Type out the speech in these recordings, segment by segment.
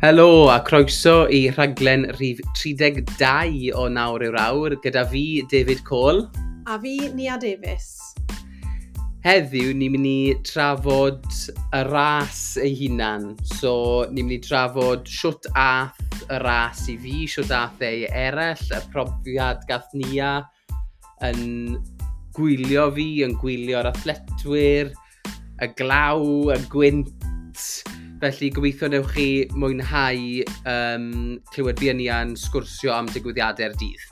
Helo a croeso i rhaglen rhif 32 o Nawr yw'r Awr gyda fi, David Cole. A fi, Nia Davies. Heddiw, ni'n mynd i trafod y ras ei hunan. So, ni'n mynd i trafod siwt ath y ras i fi, siwt ath ei eraill, y profiad gath Nia yn gwylio fi, yn gwylio'r athletwyr, y glaw, y gwynt. Felly gobeithio newch chi mwynhau clywed fi a Nia'n sgwrsio am digwyddiadau'r dydd.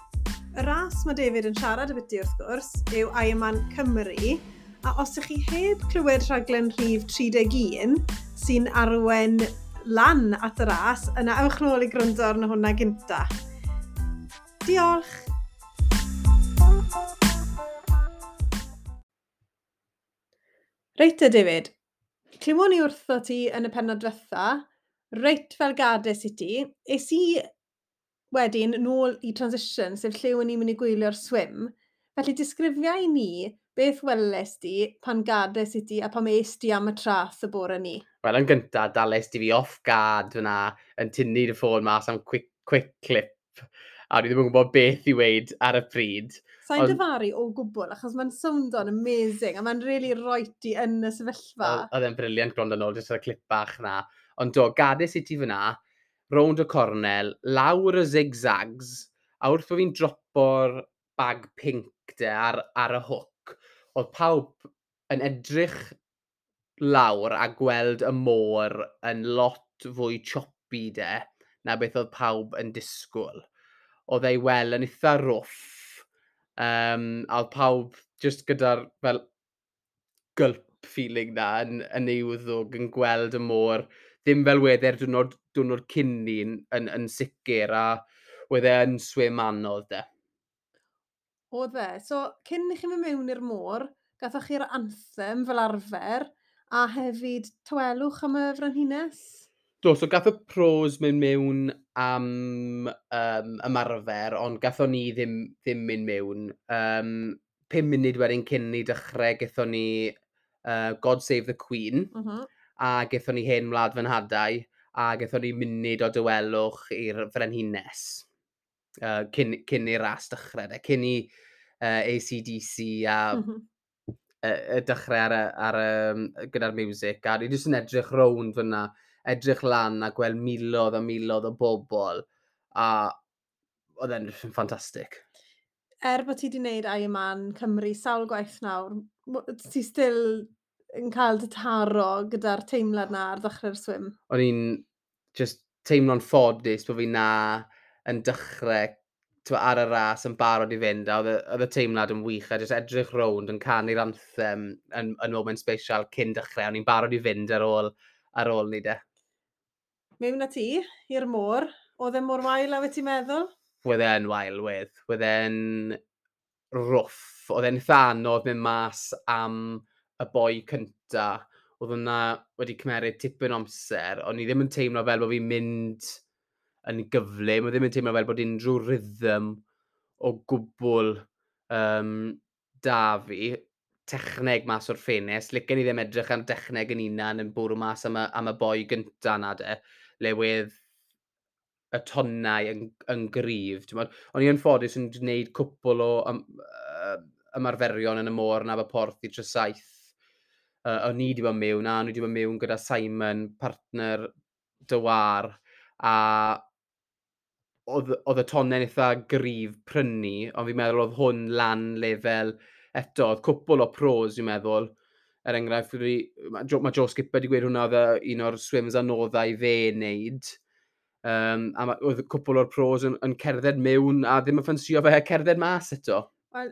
Y ras mae David yn siarad ambiti wrth gwrs yw Ironman Cymru, a os ydych chi heb clywed rhaglen rhif 31 sy'n arwen lan at y ras, yna ewch nôl i gwrando arno hwnna gynta. Diolch! Reit te, David, clywon ni wrtho ti yn y pennod diwetha, reit fel gades i ti, es i wedyn nôl i transition, sef lle o'n i'n mynd i gwylio'r swim. Felly disgrifia i ni beth weles di pan gades i ti a pam es di am y trath y bore ni. Wel, yn gyntaf, dales di fi off guard fyna yn tynnu dy ffôn mas am quick clip. A o'n i ddim yn gwybod beth i weud ar y pryd. Sa'n dyfaru o gwbl, achos mae'n sowndo'n amazing, a mae'n really rhoi ti yn y sefyllfa. Oedd e'n brilliant gwrando nôl, jyst ar y clip bach na. Ond do, gades i ti fyna, rownd y cornel, lawr y zigzags, a wrth bod fi'n dropo'r bag pink de ar y hook, oedd pawb yn edrych lawr a gweld y môr yn lot fwy choppy de na beth oedd pawb yn disgwyl. Oedd ei wel yn eitha rough, a oedd pawb jyst gyda'r fel gulp feeling na yn ei wddwg yn gweld y môr, ddim fel wedd e'r diwrnod cyn ni yn sicr, a wedd e yn swim anodd de. Oedd e. So, cyn i chi mynd mewn i'r môr, gathoch chi'r anthem fel arfer, a hefyd tawelwch am y frenhines? Do, so gath y pros mynd mewn am ymarfer, ond gathon ni ddim mynd mewn. 5 munud wedyn cyn ni dechrau, gathon ni God Save the Queen, a gathon ni Hen Wlad Fy Nhadau, a gathon ni munud o dawelwch i'r frenhines cyn i'r ras dechrau, de, cyn i AC/DC a y dechrau gyda'r music. A ni jyst yn edrych rownd fyna, edrych lan a gweld miloedd a miloedd o bobl, a oedd e'n ffantastig. Er bod ti wedi gwneud Ironman Cymru sawl gwaith nawr, ti still yn cael dy taro gyda'r teimlad na ar ddechrau'r swim? O'n i'n just teimlo'n ffodus bod fi na yn dechrau ar y ras yn barod i fynd, a oedd y teimlad yn wych, a just edrych rownd yn canu'r anthem yn moment special cyn dechrau. O'n i'n barod i fynd ar ôl ni de. Mewn â ti i'r môr, oedd e mor wael a wyt ti'n meddwl? Wedd e'n wael, wedd. Wedd e'n rough. Oedd e'n eitha anodd mynd mas am y boi cynta. Oedd hwnna wedi cymeryd tipyn o amser, ond ni ddim yn teimlo fel bod fi'n mynd yn gyflym. Oedd ddim yn teimlo fel bod unrhyw rhythm o gwbl da fi. Techneg mas o'r ffenest. Licen i ddim edrych am dechneg yn unan yn bwrw mas am y boi gynta na de, le wedd y tonnau yn gryf. O'n i yn ffodus yn gwneud cwpl o ymarferion yn y môr yn Aberporth i Tresaith. O'n i wedi bod mewn, a o'n i wedi bod mewn gyda Simon, partner Dywar, a oedd y tonnau'n eitha gryf prynu, ond fi'n meddwl oedd hwn lan lefel eto, oedd cwpl o pros, fi'n meddwl. Er enghraifft, mae Joe Skipper wedi gweud hwnna oedd un o'r swims anoddau i fe wneud. A oedd cwpl o'r pros yn cerdded mewn a ddim yn ffansio fe cerdded mas eto. Wel,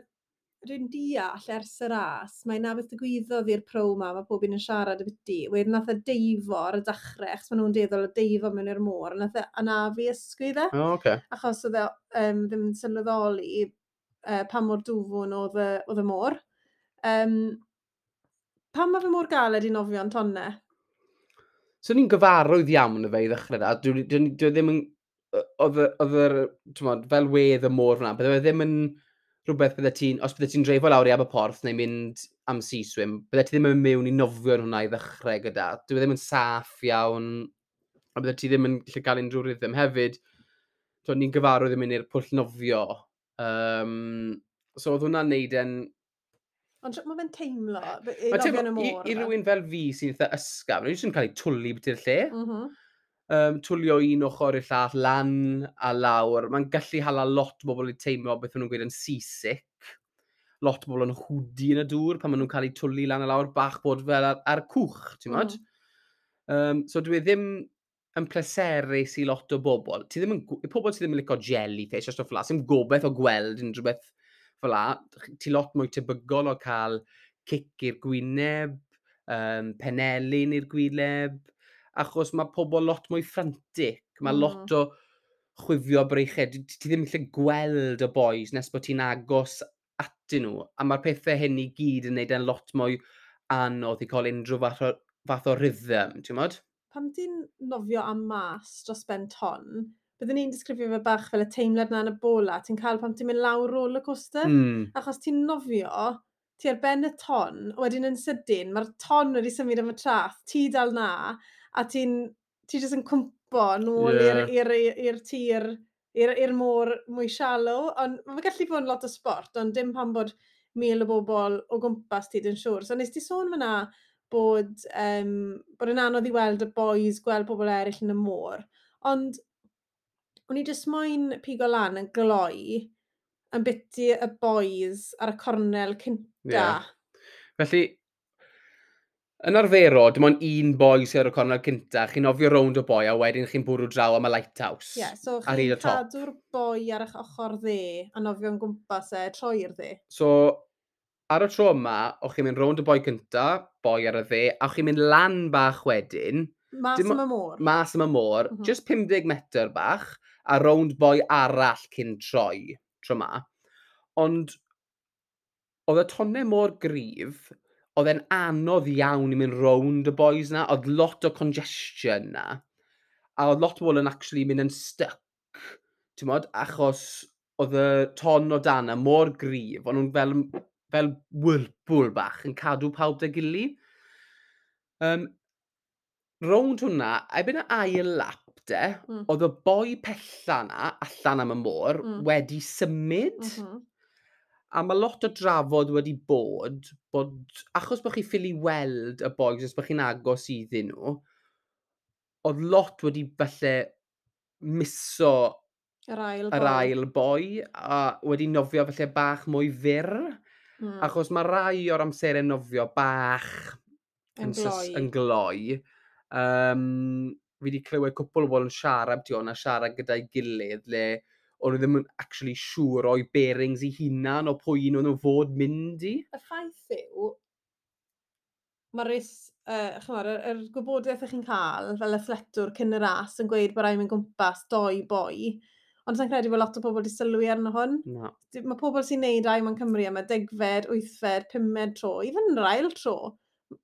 rwy'n deall ers y ras, mae na beth ddigwyddodd i'r pro ma, mae pob un yn siarad ambiti. Wedyn nath e deifo ar y dechrau, achos maen nhw'n dueddol o deifo mewn i'r môr, a nath e anafu ysgwydd e. Oh, okay. Achos oedd e ddim yn sylweddoli pa mor dwfwn oedd y môr. Pam mae fe mor galed i nofio'n tonnau? So ni'n gyfarwydd iawn y fe i ddechrau da. Dwi ddim yn, oedd y, oedd yr, t'mod, fel wedd y môr fyna, bydde fe ddim yn rhywbeth bydde ti'n, os bydde ti'n dreifo lawr i Aberporth neu mynd am sea swim, bydde ti ddim yn mewn i nofio yn hwnna i ddechrau gyda. Dwi ddim yn saff iawn. A bydde ti ddim yn gallu cael unrhyw rhythm. Hefyd, so, ni'n gyfarwydd yn mynd i'r pwll nofio. So oedd hwnna'n neud e'n. Ond mae fe'n teimlo, i nofio yn y môr. I rywun fel fi sy'n eitha ysgafn, nhw'n jyst yn cael ei twlu biti'r lle. Twlio un ochr i'r llall, lan a lawr. Mae'n gallu hala lot o bobl i teimlo beth maen nhw'n gweud yn seasick. Lot o bobl yn hwdi yn y dŵr pan maen nhw'n cael eu twlu lan a lawr, bach bod fel ar cwch, ti'n modd? So dwi ddim yn pleserus i lot o bobl. Ti ddim yn, pobl sydd ddim yn licio jellyfish a stwff fel 'na, sy'n gobeith o gweld unrhyw beth fel 'na, ti lot mwy tebygol o cael cic i'r gwyneb, penelin i'r gwyneb, achos mae pobl lot mwy frantic. Mae lot o chwifio breichau. Ti ddim yn gallu gweld y boys nes bod ti'n agos atyn nhw. A mae'r pethau hyn i gyd yn neud e'n lot mwy anodd i cael unrhyw fath o rhythm, ti'n modd? Pam ti'n nofio am mas dros ben ton, byddwn ni'n disgrifio fe bach fel y teimlad na yn y bola ti'n cael pan ti'n mynd lawr roller coaster. Achos ti'n nofio, ti ar ben y ton, wedyn yn sydyn, mae'r ton wedi symud am y traeth, ti dal na, a ti jyst yn cwmpo nôl i'r tir, i'r môr mwy shallow. Ond mae'n gallu bod yn lot o sport, ond dim pan bod 1,000 o bobl o gwmpas ti, dwi'n siŵr. So nes ti sôn fyna bod yn anodd i weld y boys, gweld pobl eraill yn y môr. Ond o'n i jyst moyn pigo lan yn gloi yn biti y boys ar y cornel cynta. Yeah. Felly, yn arferol, dim ond un boi sydd ar y cornel cynta. Chi'n nofio rownd o boi a wedyn chi'n bwrw draw am y lighthouse. Ie, yeah, so chi'n cadw'r boi ar eich ochr dde a nofio'n gwmpas e troi'r dde. So, ar y tro yma, o'ch chi'n mynd rownd y boi cynta, boi ar y dde, a o'ch chi'n mynd lan bach wedyn. Mas am y môr. Mas am y môr, just 50 metr bach, a rownd boi arall cyn troi, tro ma. Ond oedd y tonnau mor gryf, oedd e'n anodd iawn i mynd rownd y boys na, oedd lot o congestion na, a oedd lot o bobl yn actually mynd yn stuck, ti'n modd, achos oedd y ton o dan mor gryf, o'n nhw'n fel whirlpool bach yn cadw pawb 'da'i gili. Rownd hwnna, erbyn y ail lap de, oedd y boi pella na, allan am y môr, wedi symud. A mae lot o drafod wedi bod, achos bod chi ffili weld y boys os bod chi'n agos iddyn nhw, oedd lot wedi falle miso yr ail yr boi. Ail boi, a wedi nofio falle bach mwy fyr. Achos mae rai o'r amserau nofio bach yn gloi. Yn gloi. Fi wedi clywed cwpl o bobl yn siarad ti hwn a siarad gyda'i gilydd le o'n nhw ddim yn actually siŵr o'i bearings eu hunan o pwy un o'n nhw fod mynd i. Y ffaith yw, mae'r ch'mod, yr gwybodaeth ych chi'n cael fel athletwr cyn y ras yn gweud bod rhaid mynd gwmpas doi boi, ond sa'n credu bod lot o bobl wedi sylwi arno hwn. Na. Mae pobl sy'n neud Ironman Cymru am y 10fed, 8fed, 5med tro, even yr ail tro,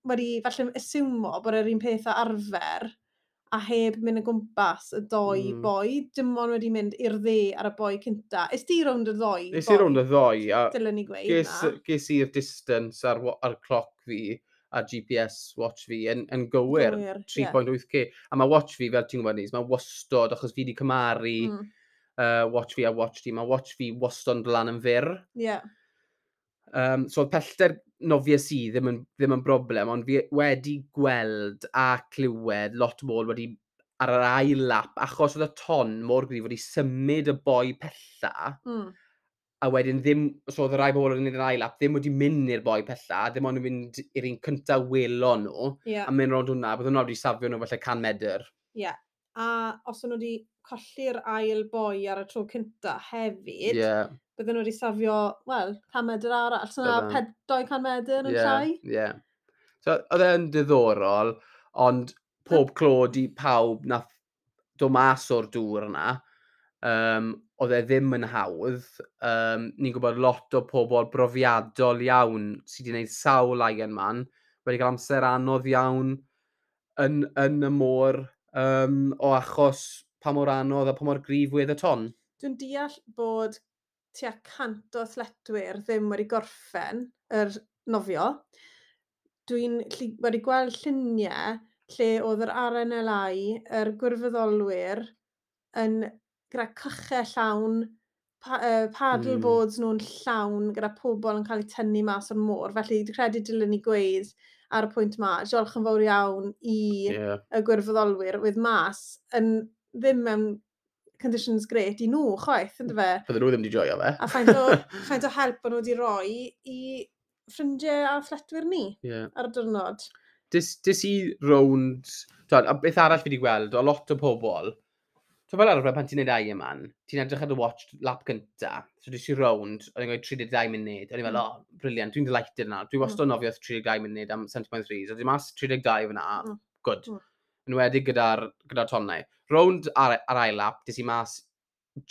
wedi falle asiwmo bod yr un peth â arfer a heb mynd o gwmpas y doi boi, dim ond wedi mynd i'r dde ar y boi cynta. Es di rownd y ddoi Nes i rownd y ddoi, a Dylen ni gweud na. ges i'r distance ar cloc fi a GPS watch fi yn gywir. Gywir, ie. 3.8K. A mae watch fi, fel ti'n gwybod, Nis, mae wastod, achos fi wedi cymharu watch fi a watch ti, mae watch fi wastod yn dod lan yn fyr. So oedd pellter nofies i ddim yn broblem, ond fi wedi gweld a clywed lot o bobl wedi ar yr ail lap, achos oedd y ton mor gryf wedi symud y boi pella, a wedyn ddim, so oedd y rai bobl yn gwneud yr ail lap ddim wedi mynd i'r boi pella, ddim ond yn mynd i'r un cyntaf welon nhw, a mynd rownd hwnna, bydd hwnna wedi safio nhw falle 100 medr. Ie. A os o'n nhw wedi colli'r ail boi ar y tro cynta hefyd, bydden nhw wedi safio, wel, 100 medr arall. So na Bydden. 200 medr yn llai. Ie. So, oedd e'n diddorol, ond pob clod i pawb nath dod mas o'r dŵr yna. Oedd e ddim yn hawdd. Ni'n gwybod lot o pobl brofiadol iawn sydd wedi gwneud sawl Ironman, wedi cael amser anodd iawn yn y môr o achos pa mor anodd a pa mor gryf wedd y ton. Dwi'n deall bod tua 100 o athletwyr ddim wedi gorffen yr nofio. Dwi'n wedi gweld lluniau lle oedd yr RNLI, yr gwirfoddolwyr, yn gyda cychau llawn, paddleboards nhw'n llawn, gyda pobl yn cael eu tynnu mas o'r môr. Felly, dwi'n credu dylen ni gweud ar y pwynt ma, diolch yn fawr iawn i y gwirfoddolwyr oedd mas yn ddim mewn conditions great i nhw, chwaith, ynddo fe? Bydden nhw ddim wedi joio fe. A faint o help o'n nhw wedi rhoi i ffrindiau a athletwyr ni ar y diwrnod. Des i rownd. Twel, a beth arall fi wedi gweld, o lot o pobl, so fel arfer pan ti'n neud Ironman, ti'n edrych ar y watch lap gynta, so des i rownd, o'n i'n gweud 32 munud, o'n i'n fel, "Oh, brilliant, dwi'n delighted na." Dwi wastad yn nofio 32 munud am 70.3, so di mas 32 fyna, good. Yn enwedig gyda tonnau. Rownd ar ail lap, des i mas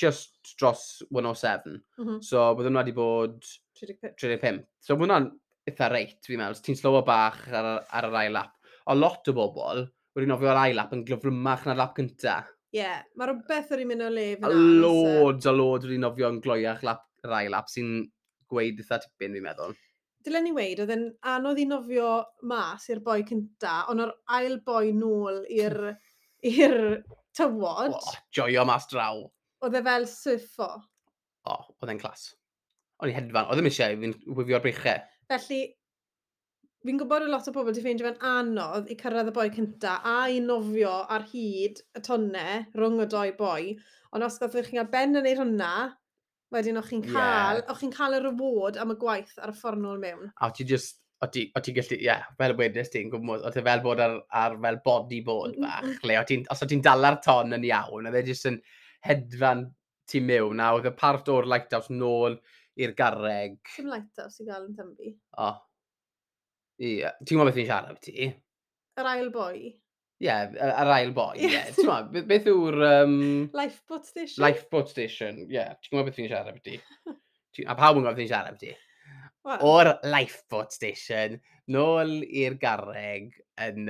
just dros 107. So, byddwn nhw wedi bod 35. 35. So, mae hwnna'n eitha reit, fi'n meddwl. Ti'n slowo bach ar yr ail lap. O lot o bobl wedi nofio ar ail lap yn gyflymach na'r lap cynta. Ie, yeah, mae rhywbeth wedi mynd o le A fyna, oes e? Loads a loads wedi nofio yn gloiach lap, yr ail lap sy'n gweud eitha tipyn, fi'n meddwl. Dylen ni weud, oedd e'n anodd i nofio mas i'r boi cynta, ond o'r ail boi nôl i'r tywod, O, joio mas draw. Oedd e fel surfo. O, oedd e'n class. O'n i hedfan, oedd ddim eisiau i fi'n wifio'r breichau. Felly, fi'n gwybod y lot o bobl wedi ffeindio fe'n anodd i cyrraedd y boi cynta a i nofio ar hyd y tonnau rhwng y doi boi, ond os gathoch chi'n cael ben yn neud hwnna, wedyn o'ch chi'n cael, o'ch chi'n cael y reward am y gwaith ar y ffordd nôl mewn. A o ti just, o ti gallu, ie, yeah, fel y wedys ti'n gwybod, o ti fel bod ar fel bodyboard bach, le os o ti'n dala'r ton yn iawn, oedd e jyst yn hedfan ti mewn, a oedd y part o'r lighthouse nôl i'r garreg. Dim lighthouse i gael yn Tenby. O. Ie, ti'n gwybod beth fi'n siarad am ti? Yr ail boi. Ie, yeah, yr ail boi, ie. Yeah. Ti'n gwybod, beth yw'r Lifeboat station? Lifeboat station, ie. Yeah. Ti'n gwybod beth fi'n siarad am ti? A pawb yn gwybod beth fi'n siarad am ti? Wel, O'r lifeboat station, nôl i'r garreg yn,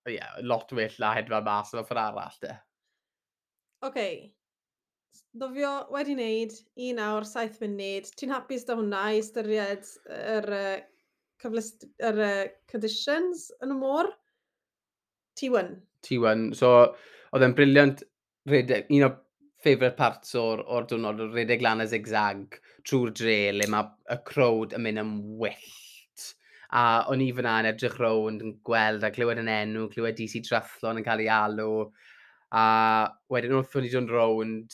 yeah, lot well na hedfan mas o'r ffordd arall, de. Oce. Nofio wedi wneud, 1 awr, 7 munud. Ti'n hapus da hwnna i ystyried yr conditions yn y môr? T1. T1. So, oedd e'n brilliant redeg, un o favourite parts o'r diwrnod, oedd redeg lan y zigzag trwy'r dre, le mae y crowd yn mynd yn wyllt. A o'n i fyna yn edrych rownd yn gweld a clywed yn enw, clywed DC Triathlon yn cael ei alw. A wedyn wrth o'n i dod rownd,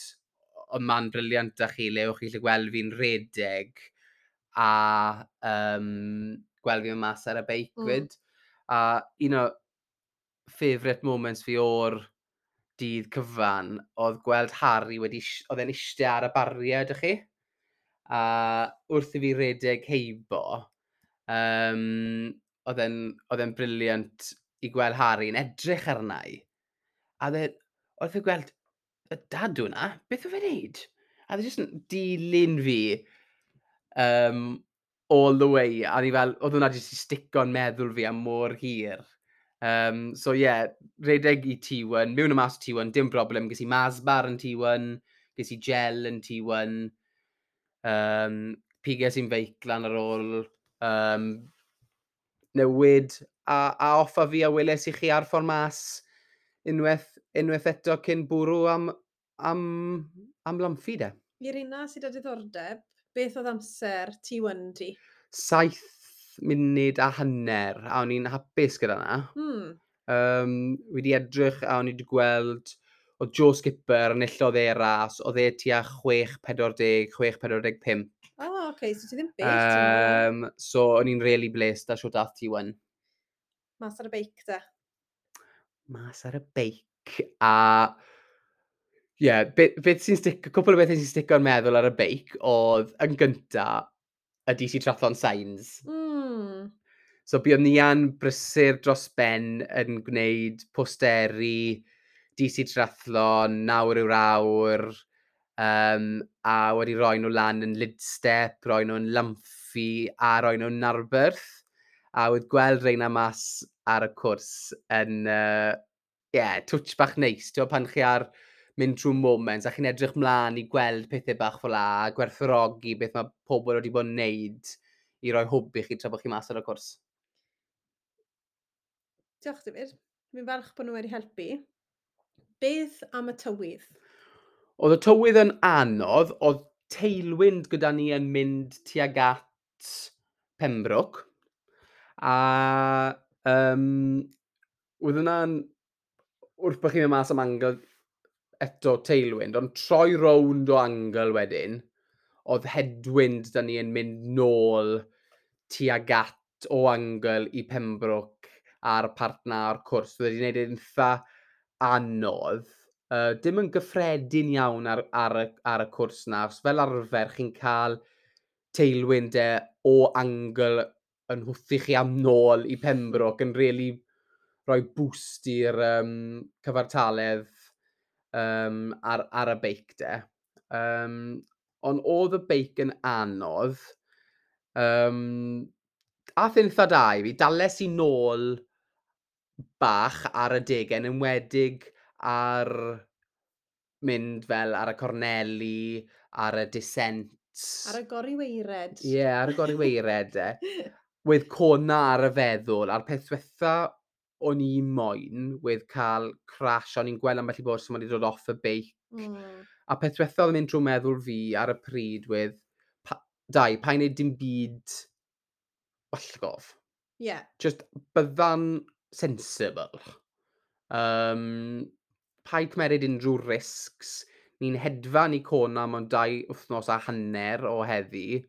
oedd man brilliant â chi, le o'ch chi gallu gweld fi'n redeg a gweld fi'n mas ar y beic fyd. A un o favourite moments fi o'r dydd cyfan oedd gweld Harry wedi, oedd e'n eistedd ar y bariau, ydych chi? A wrth i fi redeg heibo, oedd e'n brilliant i gweld Harry yn edrych arna i. A oedd e gweld, y dad hwnna, beth oedd e'n neud? A oedd e jyst yn dilyn fi all the way. A ni fel, oedd hwnna jyst i stico'n meddwl fi am mor hir. So yeah, redeg i T1, mewn y mas o T1, dim broblem. Ges i Mars bar yn T1, ges i gel yn T1, piges i'n feic lan ar ôl newid, a off a fi a weles i chi ar ffordd mas unwaith eto cyn bwrw am Lamphey de. I'r una sydd â diddordeb, beth oedd amser T1 di? 7 munud a hanner, a o'n i'n hapus gyda na. Wedi edrych a o'n i wedi gweld oedd Joe Skipper enillodd e ras, oedd e tua 6.40, 6.45. O, oh, oce, okay, so ti ddim bell, ti'n meddwl? So o'n i'n really blessed a siwt ath T1. Mas ar y beic, de. Mas ar y beic a ie, yeah, beth sy'n stick, cwpl o bethau sy'n stico'n meddwl ar y beic oedd yn gynta y DC Triathlon Signs. So buon ni yn brysur dros ben yn gwneud posteri DC Triathlon, nawr yw'r awr, a wedi rhoi nhw lan yn Lydstep, rhoi nhw'n Lamphey a rhoi nhw'n Narberth. A wedi gweld reina mas ar y cwrs yn, yeah, touch bach neis. Ti'n pan chi ar mynd trwy moments a chi'n edrych mlaen i gweld pethau bach fel 'a, a gwerthfawrogi beth mae pobl wedi bod yn neud i roi hwb i chi tra bod chi mas ar y cwrs. Diolch, David. Fi'n falch bod nhw wedi helpu. Beth am y tywydd? Oedd y tywydd yn anodd, oedd tailwind gyda ni yn mynd tuag at Pembroke. A oedd hwnna'n, wrth bod chi'n mynd mas am angle eto tailwind, ond troi rownd o angle wedyn, oedd headwind da ni yn mynd nôl tuag at o angle i Pembroke a'r part na o'r cwrs. Oedd wedi gwneud e'n eitha anodd. Dim yn gyffredin iawn ar y cwrs na. Os fel arfer chi'n cael tailwind e o angle yn hwthu chi am nôl i Pembroke yn really rhoi boost i'r cyfartaledd ar y beic de. Ond oedd y beic yn anodd. Ath e'n eitha da i fi. Dales i nôl bach ar y degau, yn enwedig ar mynd fel ar y corneli, ar y descents. Ar y goriweired. Ie, yeah, ar y goriweired e. Wedd Kona ar y feddwl, a'r peth diwetha o'n i moyn wedd cael crash, o'n i'n gweld ambell i bwrs wedi dod off y beic. A peth diwetha oedd yn mynd trwy meddwl fi ar y pryd wedd, pa, dau, pa'n neud dim byd wallgof. Just bydda'n sensible. Paid cymeryd unrhyw risks. Ni'n hedfan i Kona mewn 2 wythnos a hanner o heddi.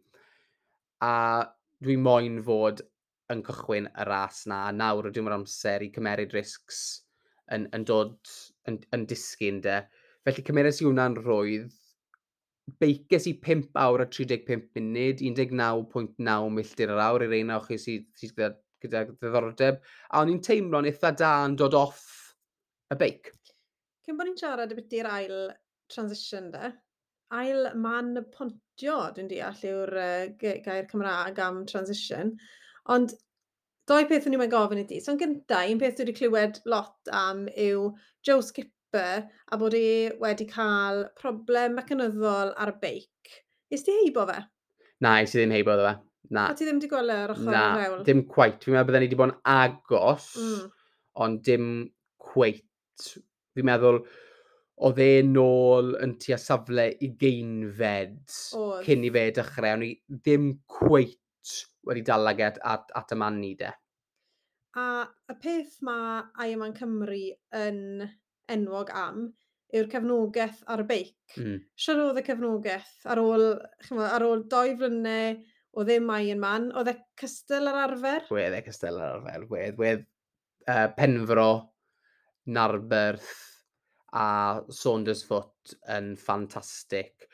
A dwi moyn fod yn cychwyn y ras na. A nawr ydw i'n amser i cymeryd risks yn dod yn disgyn de. Felly cymeres i hwnna'n rhwydd. Beices i 5 awr a 35 munud, 19.9 milltir yr awr i'r un o chi sydd gyda ddiddordeb. A o'n i'n teimlo'n eitha da yn dod off y beic. Cyn bod ni'n siarad ybyti'r ail transition de, ail man pontio, dwi'n deall, yw'r gair Cymraeg am transition. Ond doi peth o'n i'n gofyn i ti. So, yn gyntaf, un peth dwi wedi clywed lot am yw Joe Skipper a bod e wedi cael problem mecanyddol ar y beic. Is ti heibo fe? Na, es i ddim heibo fe. Na. A ti ddim wedi gweld e ar ochr Na, yr hewl? Dim quite. Fi'n meddwl bydden ni wedi bod yn agos, ond dim quite. Fi'n meddwl oedd e nôl yn tua safle 20fed cyn i fe dechrau. O'n i ddim quite wedi dal ag at y man ni de. A y peth mae Ironman Cymru yn enwog am yw'r cefnogaeth ar y beic. Siwr oedd y cefnogaeth ar ôl, ch'mo', ar ôl 2 flynedd o ddim Ironman, oedd e cystal ar arfer? Wedd e cystal ar arfer. Wedd Penfro, Narberth a Saundersfoot yn ffantastig.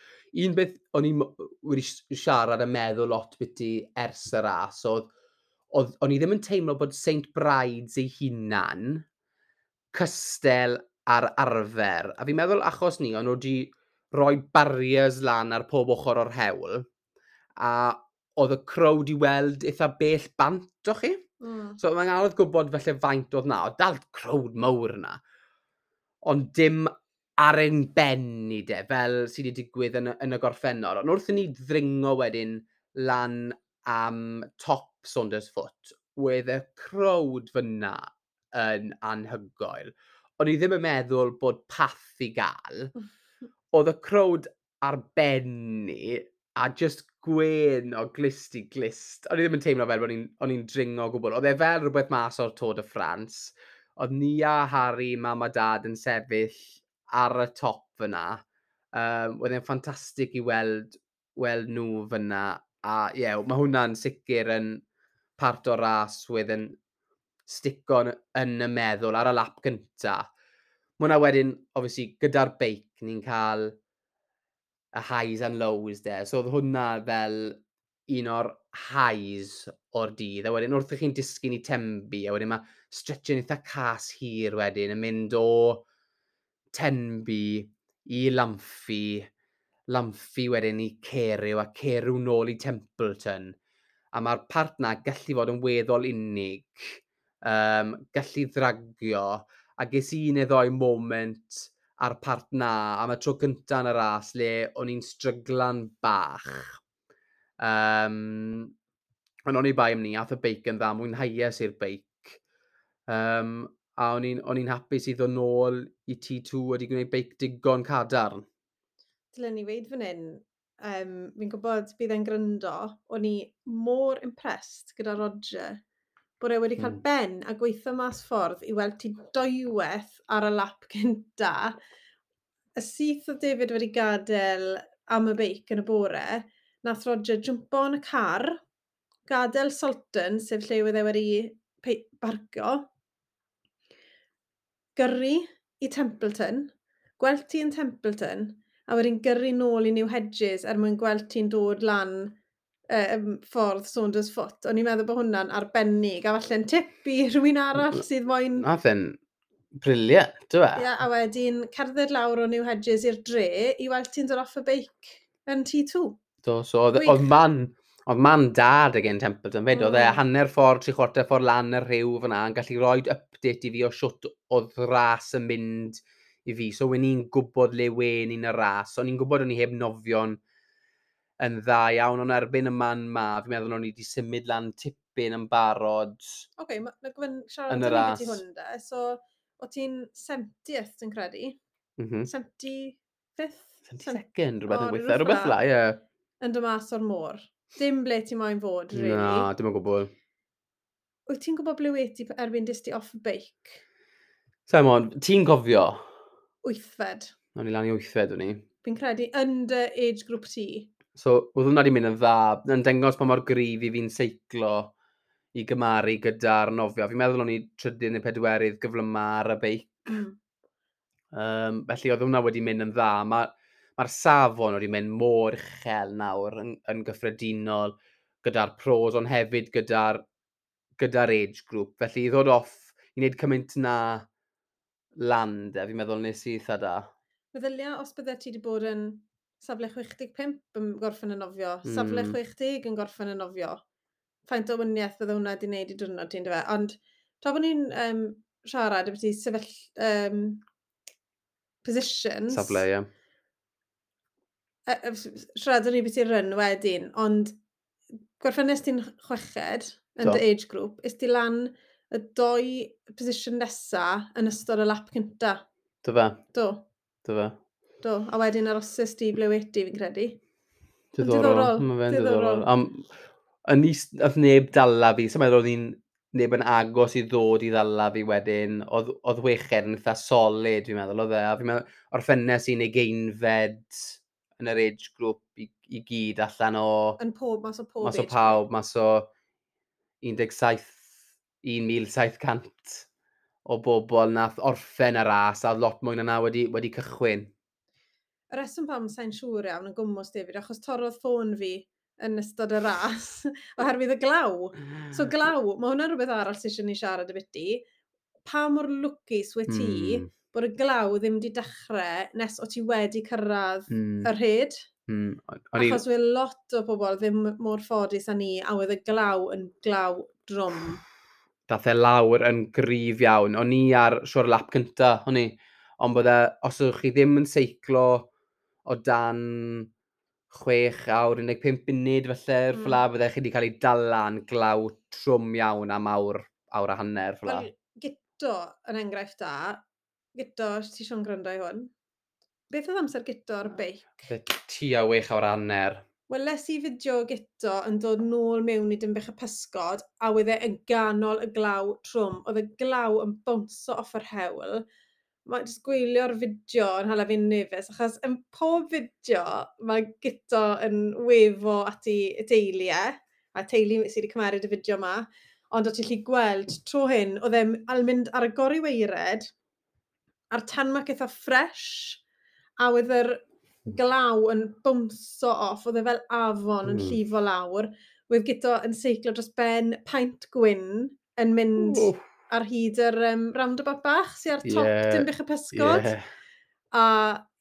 Un beth o'n i wedi siarad a meddwl lot biti ers y ras oedd o'n i ddim yn teimlo bod St Brides ei hunan cystel ar arfer. A fi'n meddwl achos ni, o'n nhw wedi rhoi barriers lan ar pob ochr o'r hewl, a oedd y crowd i weld eitha bell bant o chi. So mae'n anodd gwybod felly faint oedd na. Oedd dal crowd mawr yna. Ond dim ar ein ben ni de, fel sydd wedi digwydd yn y gorffennol. Ond wrth i ni ddringo wedyn lan am top Saundersfoot, wedd y crowd fyna yn anhygoel. O'n i ddim yn meddwl bod path i gael. Oedd y crowd ar ben ni, a just gwên o glust i glust. O'n i ddim yn teimlo fel bod o'n i'n dringo o gwbl. Oedd e fel rhywbeth mas o'r Tour de France. Oedd ni a Harry, Mam a Dad yn sefyll ar y top fyna. Oedd e'n ffantastig i weld nhw fyna. A ie, yeah, mae hwnna'n sicr yn part o'r ras wedd yn stico yn y meddwl ar y lap gynta. Mae hwnna wedyn, obviously, gyda'r beic, ni'n cael y highs and lows de. So oedd hwnna fel un o'r highs o'r dydd. A wedyn wrth i chi'n disgyn i Tenby, a wedyn mae stretch yn eitha cas hir wedyn yn mynd o Tenby i Lamphey, Lamphey wedyn i Carew, a Carew nôl i Templeton. A mae'r part na gallu fod yn weddol unig, gallu ddragio, a ges i un neu ddoi moment ar part na am y tro cynta yn y ras le o'n i'n stryglan bach. Ond o'n i bai am ni, ath y beic yn dda, mwynhaues i'r beic. A o'n i'n hapus i ddod nôl i T2 wedi gwneud beic digon cadarn. Dylen ni weud fan hyn, fi'n gwybod bydd e'n gryndo, o'n i mor impressed gyda Roger, bod e wedi cael ben a gweithio mas ffordd i weld ti dwywaith ar y lap cynta. Y syth oedd David wedi gadael am y beic yn y bore, nath Roger jwmpo yn y car, gadael Salton, sef lle oedd e wedi barcio, gyrru i Templeton, gweld ti yn Templeton, a wedyn gyrru nôl i New Hedges er mwyn gweld ti'n dod lan ffordd Saunders Foot. O'n i'n meddwl bod hwnna'n arbennig, a falle'n tip i rhywun arall sydd moyn. Nath e'n brilliant, dyw e? Ie, a wedyn cerdded lawr o New Hedges i'r dre i weld ti'n dod off y beic yn T2. Do, so oedd man dad again Templeton fyd, oedd e hanner ffordd, 3/4 ffordd lan y rhiw fyna, yn gallu rhoi update i fi o siwt oedd ras yn mynd i fi. So, wen i'n gwybod le wen i'n y ras, o'n i'n gwybod o'n i heb nofio'n yn dda iawn, ond erbyn y man ma, fi'n meddwl o'n i wedi symud lan tipyn yn barod. Oce, okay, mae gofyn siarad yn y ras. Hwn de. So, o ti'n 70th, dwi'n credu? 75th? 72nd, rhywbeth yn gweithio. Rhywbeth la, ie. Yn dod mas o'r môr. Dim ble ti moyn fod, really. Na, dim o gwbl. Wyt ti'n gwybod ble wyt ti erbyn dis ti off y beic? Simon, ti'n cofio? Wythfed. O'n i lan i wythfed, o'n i. Fi'n credu yn dy age group ti. So, oedd hwnna wedi mynd yn dda, yn dangos pa mor gryf i fi'n seiclo i gymaru gyda'r nofio. Fi'n meddwl o'n i trydydd neu pedwerydd gyflyma ar y beic. Felly oedd hwnna wedi mynd yn dda. Mae'r safon wedi mynd mor uchel nawr yn gyffredinol gyda'r pros, ond hefyd gyda age group. Felly i ddod off, i wneud cymaint na lan, de, fi'n meddwl nes i eitha da. Meddylia os bydde ti wedi bod yn safle 65 yn gorffen y nofio, safle 60 yn gorffen y nofio. Faint o wahaniaeth bydde hwnna wedi wneud i diwrnod ti'n dyfe. Ond tra bod ni'n siarad ambiti sefyll positions. Safle, ie. Siarad ni beth i'r run wedyn, ond gorffennes ti'n chweched yn dy age group, is ti lan y doi position nesa yn ystod y lap cynta. Do fe? Do. Do fe. Do, a wedyn arosys di ble wedi, fi'n credu. Diddorol. Mae fe'n diddorol. Yn is, oedd neb dala fi, so meddwl oedd hi'n neb yn agos i ddod i ddala fi wedyn. Oedd chweched yn eitha solid, fi'n meddwl, oedd e. A fi'n meddwl, orffennes i'n ugeinfed yn yr age group i gyd allan o. Yn pob, mas o pob. Mas o pawb, mas o 17, 1700 o bobl nath orffen y ras a lot mwy na na wedi cychwyn. Y reswm pam sa'n siŵr iawn yn gwmwys, David, achos torrodd ffôn fi yn ystod y ras oherwydd y glaw. So glaw, mae hwnna'n rhywbeth arall sydd eisiau ni siarad y. Pa mor lwcus wyt ti bod y glaw ddim wedi dechrau nes o ti wedi cyrraedd y rhed? Achos wedd lot o bobl ddim mor ffodus â ni, a oedd y glaw yn glaw drwm. Dath e lawr yn gryf iawn. O'n i ar siwr lap cynta, o'n i. Ond bydde, os ydych chi ddim yn seiclo o dan 6 awr 15 munud felly'r ffla, bydde chi wedi cael ei dala'n glaw trwm iawn am awr, awr a hanner ffla. Wel, Gito, yn enghraifft da, Gito, ti eisiau'n gwrando i hwn? Beth oedd amser Gito ar y beic? Fe tua 6 awr a hanner. Weles i fideo Gito yn dod nôl mewn i Dinbych y Pysgod a oedd e yn ganol y glaw trwm. Oedd y glaw yn bownso off yr hewl. Mae jyst gwylio'r fideo yn hala fi'n nervous, achos yn pob fideo mae Gito yn wefo at ei deulu e, a teulu sydd wedi cymeryd y fideo yma, ond o ti'n gallu gweld tro hyn, oedd e'n al mynd ar y goriweired, a'r tarmac eitha fresh, a oedd yr glaw yn bownso off, oedd e fel afon yn llifo lawr. Oedd Gito yn seiclo dros ben paent gwyn yn mynd ar hyd yr roundabout bach sydd ar top Dinbych y Pysgod. A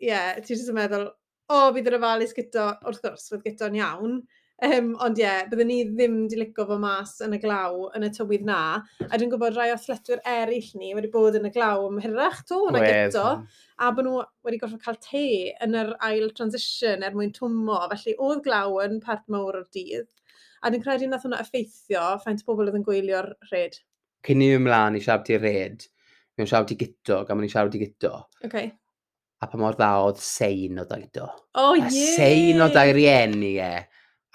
ie, yeah, ti jyst yn meddwl, o, oh, bydd yr ofalus Gito, wrth gwrs, fydd Gito'n iawn. Ond ie, yeah, byddwn ni ddim di licio fo mas yn y glaw yn y tywydd na. A dwi'n gwybod rai o athletwyr eraill ni wedi bod yn y glaw am hirach to na Gito. A bod nhw wedi gorfod cael te yn yr ail transition er mwyn twmo. Felly oedd glaw yn part mawr o'r dydd. A dwi'n credu nath hwnna effeithio faint o bobl oedd yn gwylio'r rhed. Cyn i mi ymlaen i siarad i'r red, mi'n siarad i Guto, gan mwyn i siarad i Guto. Okay. A pa mor dda oedd sein o da Guto. Oh, yeah! Sein o da i rieni e.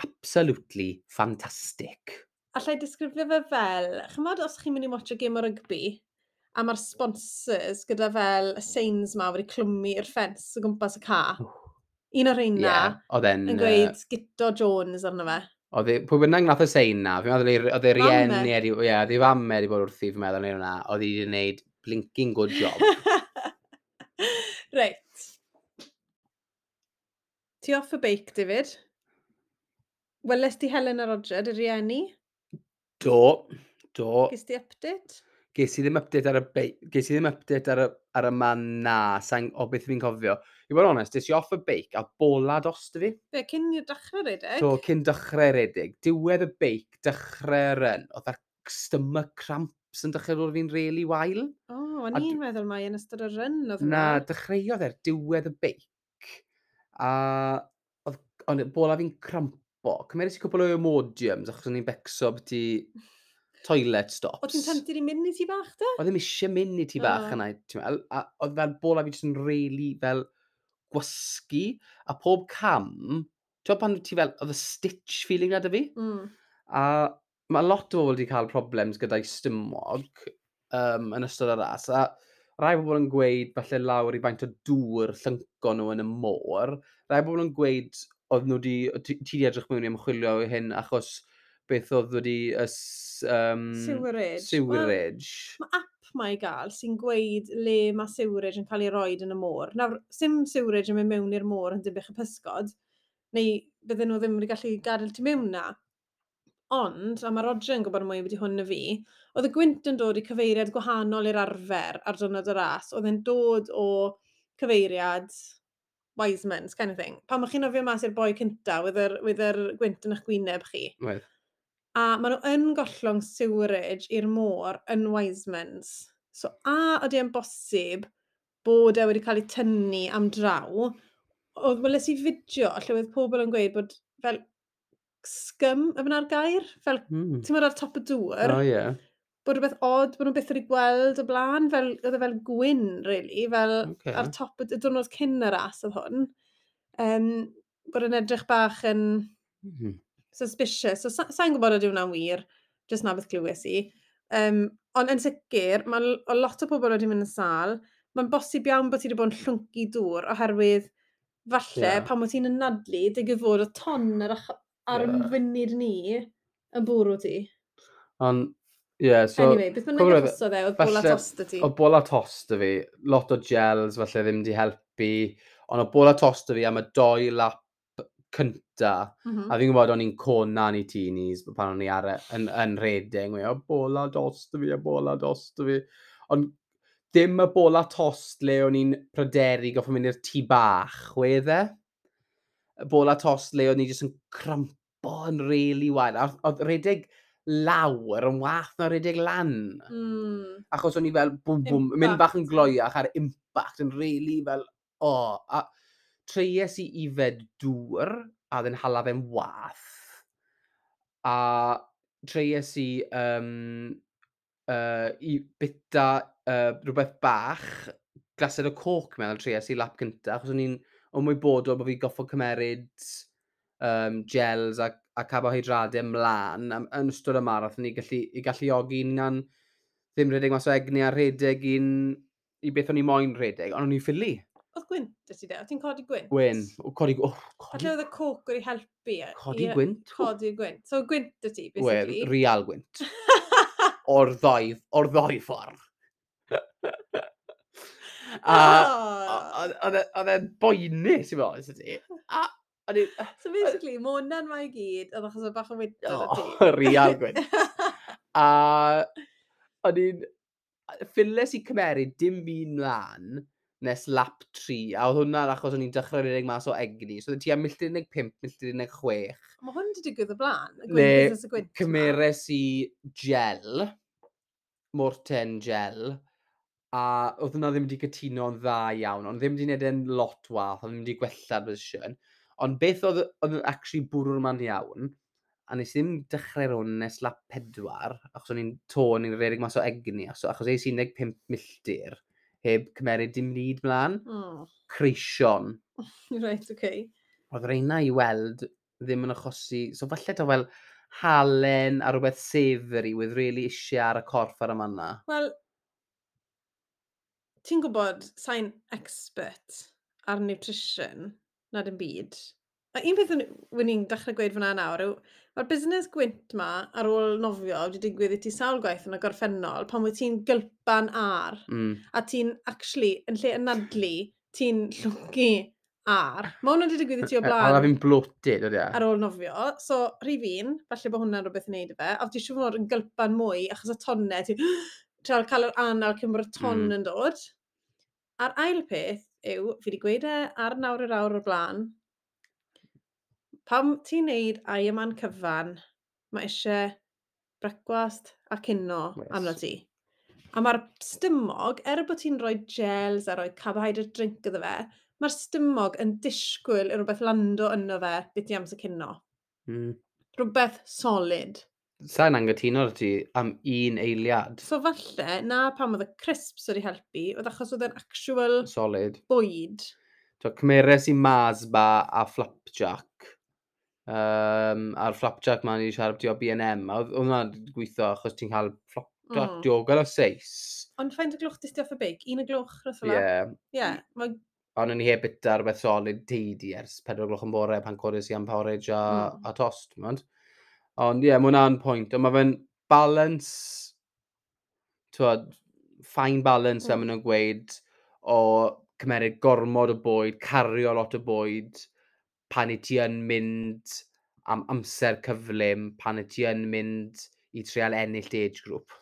Absolutely fantastic. Allai disgrifio fe fel, chymod os chi'n mynd i watcho gêm o rygbi, a mae'r sponsors gyda fel y signs ma wedi clwmu i'r ffens o gwmpas y ca. Un o'r rheina yeah, oedd yn gweud Guto Jones arno fe. Oedd pwy bynnag nath y sein na, fi'n meddwl oedd ei rieni, ie, oedd ei fam wedi bod wrthi, fi'n meddwl, neu hwnna, oedd hi wedi gwneud blinking good job. Reit. Ti off y beic, David? Weles ti Helen a Roger, dy rieni? Do, do. Ges ti update? Ges i ddim update ar y beic, ges i ddim update ar y man na, sa'n, o beth fi'n cofio. I bod yn onest, des i off y beic a bola dost fi. Be, cyn i'r dechrau redeg? Do, cyn dechrau redeg. Diwedd y beic, dechrau run. Oedd ar stomach cramps yn dechrau dod fi'n really wael. O, oh, o'n i'n meddwl mai yn ystod y run oedd hwnna. Na, dechreuodd er diwedd y beic. A oedd, ond bola fi'n crampo. Cymeres i cwpl o Imodiums achos o'n i'n becso byti toilet stops. Oedd ti'n tempted i mynd i ti bach de? Oedd ddim eisiau mynd i ti bach yna, ti'n meddwl. A oedd fel bola fi jyst yn really fel gwasgu, a pob cam, ti'n pan ti fel, oedd y stitch feeling na dy fi? Mm. A mae lot o bobl wedi cael problems gyda'i stymog yn ystod y ras, a rai bobl yn gweud falle lawr i faint o dŵr llynco nhw yn y môr. Rai bobl yn gweud oedd nhw di, ti di edrych mewn i ymchwilio i hyn achos beth oedd wedi sewerage. Sewerage. Well, mae app mae i gael sy'n gweud le mae sewerage yn cael ei roed yn y môr. Nawr, sim sewerage yn mynd mewn i'r môr yn Dinbych y Pysgod, neu bydden nhw ddim wedi gallu gadael ti mewn na. Ond, a mae Roger yn gwybod mwy wedi hwn na fi, oedd y gwynt yn dod i cyfeiriad gwahanol i'r arfer ar diwrnod y ras. Oedd e'n dod o cyfeiriad Wiseman's kind of thing. Pan o'ch chi'n nofio mas i'r boi cynta, with yr gwynt yn eich gwyneb chi. Wedd. A maen nhw yn gollwng sewerage i'r môr yn Wiseman's. So, a ydy e'n bosib bod e wedi cael ei tynnu am draw, oedd weles i fideo lle oedd pobl yn gweud bod fel scum, yf yna'r gair? Fel, ti'n meddwl ar top y dŵr? Oh, yeah. Bod rhywbeth odd, bod nhw byth wedi gweld o blaen, fel, oedd e fel gwyn, really, fel okay. Ar top y diwrnod cyn y ras oedd hwn. Bod yn edrych bach yn suspicious. So, sa'n gwybod ydy hwnna'n wir, jyst na beth glywes i. Ond yn sicr, mae lot o pobl wedi mynd yn sâl. Mae'n bosib iawn bod ti wedi bod yn llwncu dŵr, oherwydd falle, pan bod ti'n anadlu, digwydd fod y ton ar y funud ni yn bwrw ti. Ond, yeah, so... Anyway, beth bynnag achosodd e, oedd bola tost y ti? Oedd bola tost y fi, lot o gels falle ddim di helpu, ond oedd bola tost y fi am y 2 lap cynta. A fi'n gwybod o'n i'n conan i teenies pan o'n i ar yn redeg, o bola tost y fi, a bola tost y fi. Ond dim y bola tost le o'n i'n pryderu goffo mynd i'r tŷ bach, wedd e? Y bola tost le o'n i jyst yn crampo yn really wael. A oedd redeg lawr yn wath na redeg lan. Achos o'n i fel, bwm, bwm, mynd bach yn gloiach ar impact yn really fel, oh. A treies i ifed dŵr, a oedd yn hala fe'n wath. A treies i i bita rhywbeth bach, glased o coc mewn, treies i lap cynta, achos o'n i'n ymwybodol bod fi goffo cymeryd gels a carbohydradau ymlaen yn ystod y marathon i galluogi hunan ddim rhedeg mas o egni a rhedeg i beth o'n i moyn rhedeg, ond o'n i'n ffili. Oedd gwynt y ti de? Oedd ti'n codi gwynt? Gwyn. Codi, Falle oedd y coc wedi helpu. Codi gwynt? Codi gwynt. So gwynt y ti, basically. Wel, real gwynt. O'r ddoi ffordd. A oedd e'n boenus i fod, ti. So basically, mae hwnna'n mae i gyd, oedd achos o bach o wynt ar y ti. Real gwynt. A o'n i'n... Ffiles i cymeryd dim byd mlaen nes lap 3, a oedd hwnna'n achos o'n i'n dechrau rhedeg mas o egni. So oedd tua milltir 15, milltir 16. Mae hwn wedi digwydd o blaen, y gwynt, y gwynt. Cymeres i gel, Morten gel, a oedd hwnna ddim wedi cytuno'n dda iawn, ond ddim wedi gwneud e'n lot wath, oedd ddim wedi gwella'r position. Ond beth oedd yn actually bwrw'r man iawn, A nes i ddim dechrau rhwng nes lap 4, achos o'n i'n to, o'n i'n rhedeg mas o egni, achos es i 15 milltir, heb cymeryd dim byd mlaen. Creision. Right, okay. Oedd reina i weld ddim yn achosi. So falle to fel halen a rhywbeth savoury with really eisiau ar y corff ar y manna. Wel, ti'n gwybod, sa'n expert ar nutrition, na dim byd. A un peth wyn i'n dechrau gweud fyna nawr yw, mae'r busnes gwynt ma ar ôl nofio wedi digwydd i ti sawl gwaith yn y gorffennol pan wyt ti'n gylpan ar a ti'n actually, yn lle anadlu, ti'n llwgu ar. Mae hwnna wedi digwydd i ti o A blaen fi'n bloated, ydy e? ar ôl nofio. So, rhif un, falle bod hwnna'n rhywbeth i wneud â fe. A ti siŵr fod yn gylpan mwy, achos y tonnau, ti'n trial cael yr anal cyn bod y ton yn dod. A'r ail peth yw, fi wedi gweud e ar nawr yr awr o'r blaen, pam ti'n neud Ironman cyfan, mae eisiau brecwast a cino arno ti. A mae'r stymog, er bod ti'n rhoi gels a rhoi carbohydrate drink iddo fe, mae'r stymog yn disgwyl i rhywbeth lando yno fe beth i amser cino. Rhywbeth solid. Sa'n angytuno ar ti am un eiliad. So falle, na pam oedd y crisps wedi helpu, oedd achos oedd e'n actual Solid. bwyd. So, cymeres i Mars bar a flapjack. A'r flapjack ma ni wedi siarad ti o B&M. A oedd hwnna'n gweithio achos ti'n cael flapjack diogel o seis. Ond faint o gloch dis ti off y beic? 1 o gloch, rhywbeth fel 'na? Ie. Ie, mae Ond o'n i heb bita rhywbeth solid teidi ers 4 o gloch yn bore pan codes i am porridge a, a tost, ti'n. Ond ie, yeah, mae hwnna'n pwynt. Ond mae fe'n balance, t'wod, fine balance, fel maen nhw'n gweud, o cymeryd gormod o bwyd, cario lot o bwyd, pan i ti yn mynd am amser cyflym, pan i ti yn mynd i trial ennill dy age group.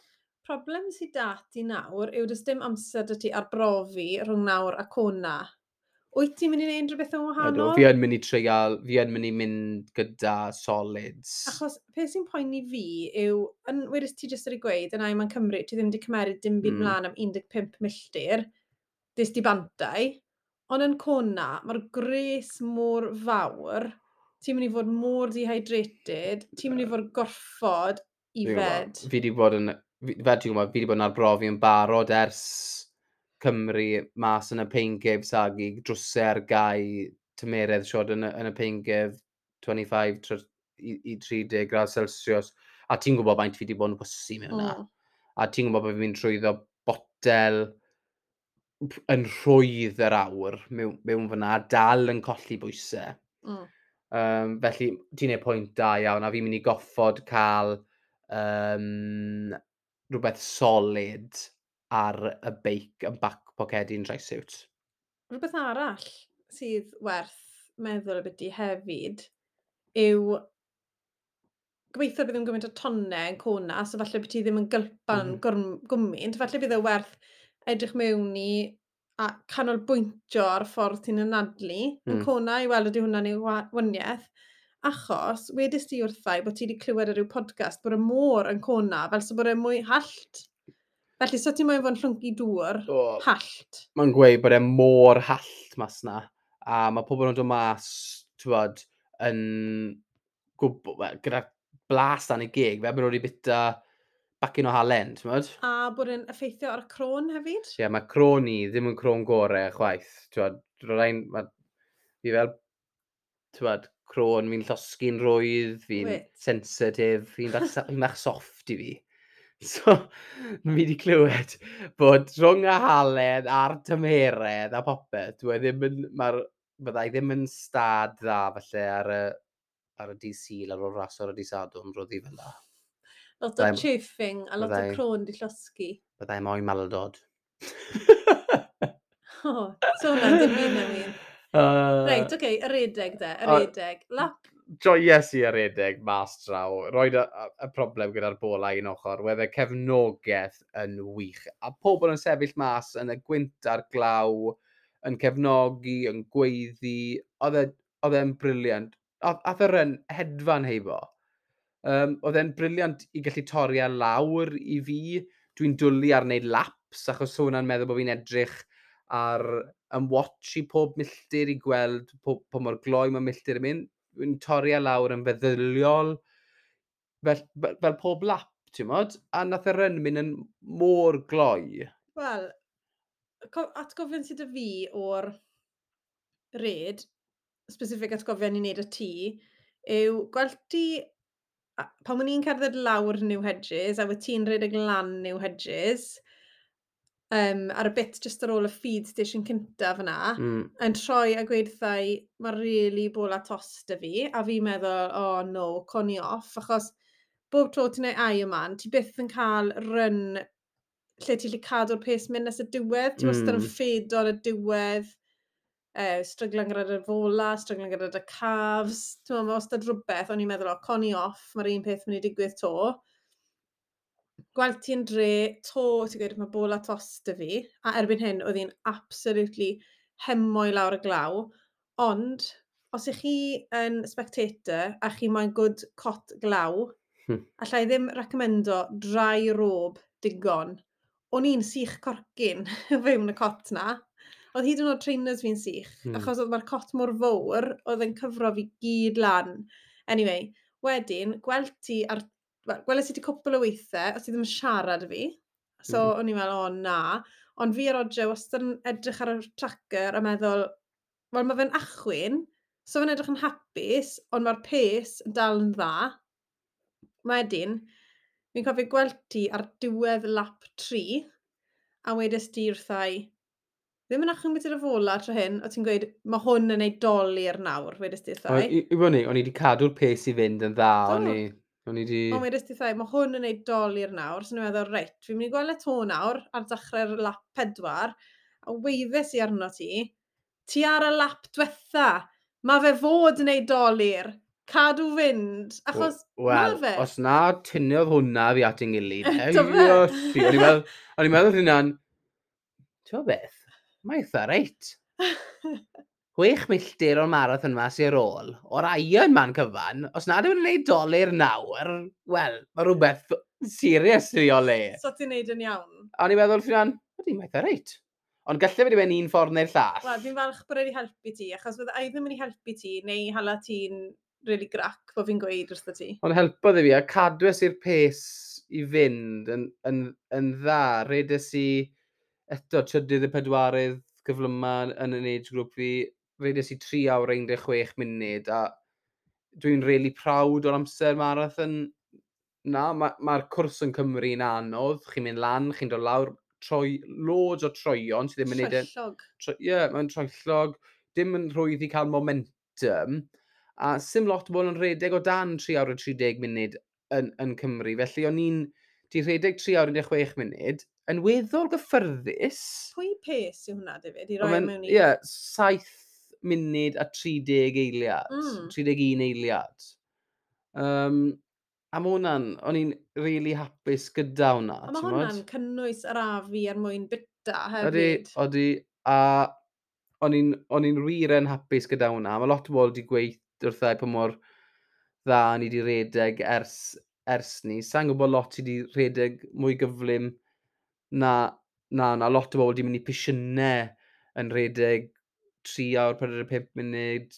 Problem sydd da ti nawr yw does dim amser 'da ti arbrofi rhwng nawr a Kona. Wyt ti'n mynd i wneud rhywbeth yn Ydw, wahanol? fi yn mynd i treial, fi yn mynd i mynd gyda solids. Achos peth sy'n poeni fi yw, yn wedys ti jyst wedi gweud, yn Ironman Cymru, ti ddim wedi cymeryd dim byd mlaen am 15 milltir, des di bantau, ond yn Kona, mae'r gres mor fawr, ti'n mynd i fod mor dehydrated, ti'n mynd i fod gorfod Fi'n gwbod. ifed. Fi wedi bod yn, fel ti'n gwybod, fi wedi bod yn arbrofi yn barod ers Cymru mas yn y Pain Cave sagi, drwsau ar gau, tymeredd siod yn y Pain Cave 25 i 30 gradd Celsius. A ti'n gwybod faint fi wedi bod yn pwsu mewn yna. A ti'n gwybod bod fi'n mynd trwyddo botel yn rhwydd yr awr mewn fyna, dal yn colli bwysau. Felly, ti'n neud pwynt da iawn, a fi'n mynd i goffod cael rhywbeth solid ar y beic yn back pocedi'n trisuit. Rhywbeth arall sydd werth meddwl ambiti hefyd yw gobeithio bydd ddim gymaint o tonnau yn Kona, so falle bydd ti ddim yn gylpan gwmynt, falle bydd e werth edrych mewn i a canolbwyntio ar y ffordd ti'n anadlu yn Kona i weld ydy hwnna'n ei waniaeth. Achos, wedys ti wrthai bod ti wedi clywed ar ryw podcast bod y môr yn Kona, fel so bod e mwy hallt. Felly, so ti'n moyn fod yn llwncu dŵr O, hallt. Mae'n gweud bod e mor hallt mas na. A mae pobl yn dod mas, ti'n yn gwybod, wel, gyda blas dan ei geg, fel bod nhw wedi bita bacyn o halen, ti'n gwbod? A bod e'n effeithio ar y croen hefyd. Ie, yeah, mae croen i ddim yn croen gorau chwaith. Ti'n gwbod, fi fel, ti'n gwbod, croen fi'n llosgi'n rwydd, fi'n sensitif, fi'n bach soft i fi. So, fi wedi clywed bod rhwng y halen a'r tymheredd a popeth, dwi e ddim yn, byddai ddim yn stad dda falle ar y dydd Sul ar ôl ras ar y dydd Sadwrn, roddi fel la. Lot o chafing a lot o croen di llosgi. Byddai moyn maldod. O, so hwnna'n dim byd newydd. Reit, oce, okay, y redeg de, y redeg. Lap, Joies i ar redeg mas draw. Roed y problem gyda'r bola un ochr. Wedd y cefnogaeth yn wych. A pobl yn sefyll mas yn y gwynt a'r glaw, yn cefnogi, yn gweiddi. Oedd e'n brilliant. Ath yr yn hedfan heibo. Oedd e'n brilliant i gallu torri e lawr i fi. Dwi'n dwlu ar wneud laps, achos so hwnna'n meddwl bod fi'n edrych ar yn watch i pob milltir i gweld po mor gloi mae milltir yn mynd. Dwi'n torri e lawr yn feddyliol. fel pob lap, ti'n modd? A nath y run mynd yn mor gloi. Wel, atgofion sydd 'da fi o'r red, specific atgofion i wneud y tŷ, yw gweld ti, pan o'n i'n cerdded lawr New Hedges, a wyt ti'n rhedeg lan New Hedges, ar y bit just ar ôl y feed station cyntaf yna, yn troi a gweud wrtha i, mae really bola tost 'da fi, a fi'n meddwl, "Oh no, con i off," achos bob tro ti'n neud Ironman, ti byth yn cael run lle ti'n gallu cadw'r pace mynd nes y diwedd. Ti wastad yn ffedo ar y diwedd, stryglan gyda'r fola, stryglan gyda dy calves. Ti'n meddwl, mae wastad rhywbeth, o'n i'n meddwl, "O, con i off, mae'r un peth mynd i digwydd to." Gweld ti'n dre, to, ti'n gweud, "Mae bola tost 'da fi," a erbyn hyn, oedd hi'n absolutely hemo i lawr y glaw. Ond, os ych chi yn spectator a chi moyn good cot glaw, allai ddim recommendo dry robe digon. O'n i'n sych corcyn fewn y cot na. Oedd hyd yn oed trainers fi'n sych, achos oedd mae'r cot mor fawr, oedd yn cyfro fi gyd lan. Anyway, wedyn, gweld ti ar... Wel, gweles i ti cwpl o weithiau, os ti ddim yn siarad â fi. So, o'n i'n meddwl, "O na." Ond fi a Roger wastad yn edrych ar y tracker a meddwl, wel, mae fe'n achwyn, so fe'n edrych yn hapus, ond mae'r pace yn dal yn dda. Wedyn, fi'n cofio gweld ti ar diwedd lap 3, a wedes ti wrtha i, ddim yn achwyn beth yw'r fola tro hyn, o ti'n gweud, "Mae hwn yn ei dolur nawr," wedes ti wrtha O, i. I fod ni, o'n i wedi cadw'r pace i fynd yn dda, o'n i wedi. Ond wedes ti wrtha i, "Mae hwn yn ei dolur nawr," so ni'n meddwl, "Reit, fi'n mynd i gweld e to nawr, ar dechrau'r lap 4," a weiddes i arno ti, "Ti ar y lap diwetha, mae fe fod yn ei dolur, cadw fynd," achos Wel, ma fe. Os na tynnodd hwnna fi at yng ngilydd, Do fe? Iesu, o'n i'n meddwl hynna'n, ti'n gwybod beth, mae eitha reit. 6 milltir o'r marathon yma sy'n ar ôl, o'r Ironman cyfan, os nad yw'n gwneud dolur nawr, wel, mae rhywbeth serious i o le. So ti'n neud yn iawn. A o'n i'n meddwl, hynna'n, ydy, mae eitha reit. Ond gallai fe wedi mynd un ffordd neu'r llall. Wel, fi'n falch bod wedi helpu ti, achos fydde i ddim yn ei helpu ti, neu hala ti'n really grac bod fi'n gweud wrtho ti. Ond helpodd i fi, a cadwes i'r pace i fynd yn dda. Redes i eto trydydd y pedwarydd gyflyma yn yn age group fi. Redes i 3 awr 16 munud, a dwi'n really proud o'r amser marathon na. Mae'r ma cwrs yn Cymru yn anodd. Chi'n mynd lan, chi'n dod lawr, troi, loads o troion sydd ddim yn neud e. Troellog. Ie, yeah, mae'n troellog. Dim yn rhwydd i cael momentum. A sim lot o bobl yn rhedeg o dan 3 awr a 30 munud yn Cymru. Felly o'n i'n di rhedeg 3 awr 16 munud yn weddol gyffyrddus. Pwy pace yw hwnna, David, i Ond roi mewn i? Ie, 7 munud a 30 eiliad. 31 eiliad. A ma' hwnna'n, o'n i'n really hapus gyda hwnna, A mae ti'n hwnna'n gwbod? cynnwys yr afu er mwyn bita Odi, hefyd. odi, a o'n i'n wir yn hapus gyda hwnna. Mae lot o bobl wedi gweud wrtha i pa mor dda ni wedi redeg ers ni. Sa'n gwybod lot sydd wedi rhedeg mwy gyflym na lot o bobl wedi mynd i pisiynau yn rhedeg 3 awr, 45 munud,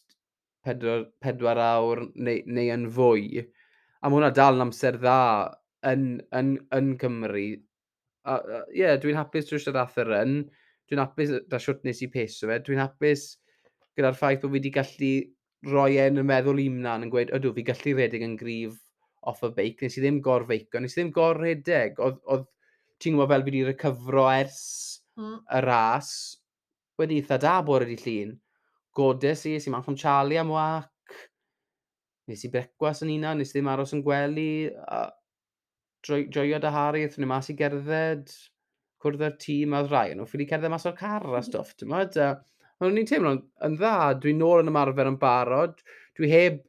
4, 4 awr neu yn fwy. A mae hwnna dal yn amser dda yn Cymru. A ie, yeah, dwi'n hapus drwy siarad ath yr run. Dwi'n hapus da siwt nes i peso fe. Dwi'n hapus gyda'r ffaith bod fi wedi gallu rhoi e yn y meddwl i mlaen yn gweud, "Ydw, fi gallu redeg yn gryf off y beic." Nes i ddim gor-feico, nes i ddim gor-redeg. Oedd ti'n gwybod fel fi wedi recyfro ers y ras, wedi eitha da bore di Llun. Godes i, es i mas am Charlie am wac. Nes i brecwas yn unan, nes i ddim aros yn gwely. A joio da Harry, aethon ni mas i gerdded, cwrdd â'r tîm a oedd rai nhw ffili cerdded mas o'r car a stwff, ti'n modd? A o'n i'n teimlo'n yn dda, dwi'n nôl yn ymarfer yn barod, dwi heb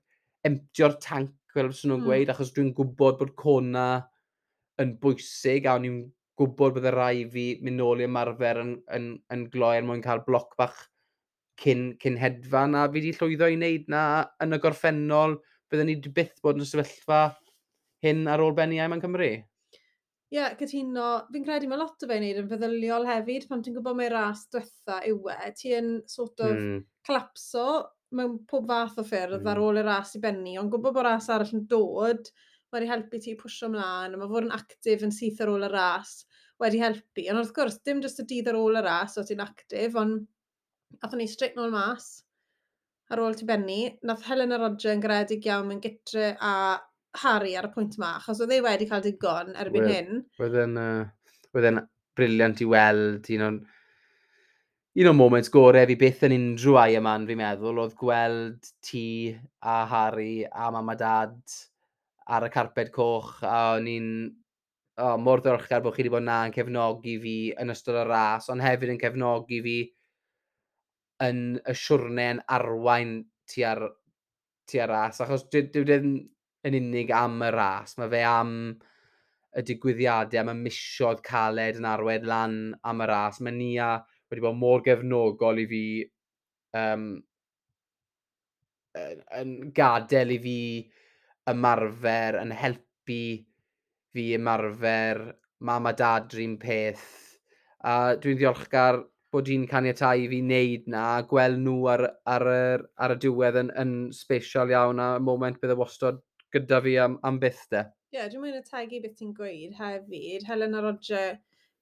emptio'r tank, fel fyswn nhw'n gweud, achos dwi'n gwybod bod Kona yn bwysig, a o'n i'n gwybod bydde rai fi mynd nôl i ymarfer yn gloi er mwyn cael bloc bach cyn hedfan, a fi wedi llwyddo i wneud na yn y gorffennol, bydden ni 'di byth bod yn y sefyllfa hyn ar ôl benni Ironman Cymru. Ie, yeah, cytuno. Fi'n credu mae lot o fe'n neud yn feddyliol hefyd, pan ti'n gwybod mai ras diwetha yw e, ti yn sort of collapso mewn pob fath o ffyrdd ar ôl y ras i benni, ond gwybod bod ras arall yn dod, wedi helpu ti pwsio ymlaen, a mae fod yn actif yn syth ar ôl y ras wedi helpu. Ond wrth gwrs, dim jyst y dydd ar ôl y ras o ti'n actif, ond athon ni straight nôl mas ar ôl ti benni. Nath Helen a Roger yn garedig iawn yn gytre a Harry ar y pwynt yma, achos oedd e wedi cael digon erbyn hyn. Oedd e'n brilliant i weld, un o'r moments gorau fi byth yn unrhyw Ironman, fi'n meddwl, oedd gweld ti a Harry a mam a dad ar y carped coch, a o'n i'n oh, mor ddiolchgar bod chi wedi bod na yn cefnogi fi yn ystod y ras, ond hefyd yn cefnogi fi yn y siwrne yn arwain tua'r ras, achos dyw ddim yn unig am y ras, mae fe am y digwyddiadau, am y misoedd caled yn arwain lan am y ras. Mae Nia wedi bod mor gefnogol i fi, yn gadael i fi ymarfer, yn helpu fi ymarfer, mam a dad rhywun peth. A dwi'n ddiolchgar bod hi'n caniatáu i fi wneud na, a gweld nhw ar y diwedd yn special iawn, a moment bydd e wastod gyda fi am byth de. Ie, yeah, dwi'n mynd ategu beth ti'n gweud hefyd. Helen a Roger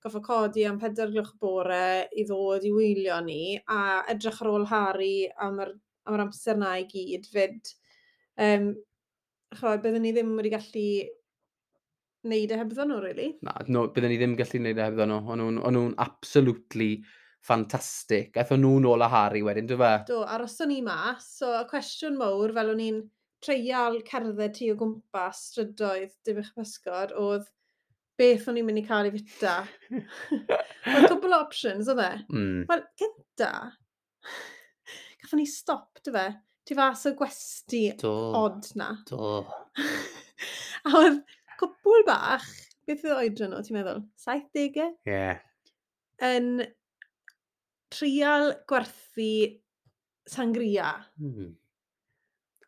goffo codi am 4 gloch bore i ddod i wylio ni, a edrych ar ôl Harry am yr amser na i gyd fyd. Chod, byddwn ni ddim wedi gallu wneud e hebddon nhw, really. Na, no, byddwn ni ddim gallu wneud e hebddon nhw. O'n nhw'n absolutely fantastic. Aethon nhw nôl â Harry wedyn, do fe? Do, aroson ni mas. So, y cwestiwn mawr, fel o'n i'n treial cerdded ti o gwmpas strydoedd Dinbych Pysgod, oedd beth o'n i'n mynd i cael ei fita. Oedd cwbl o options, oedd e? Wel, gynta, gathon ni stop, do fe? Tu fas o gwesti odd na. Do. A oedd cwpwl bach, beth oedd oedran nhw, ti'n meddwl? 70au? Ie. Yeah. Yn trial gwerthu sangria.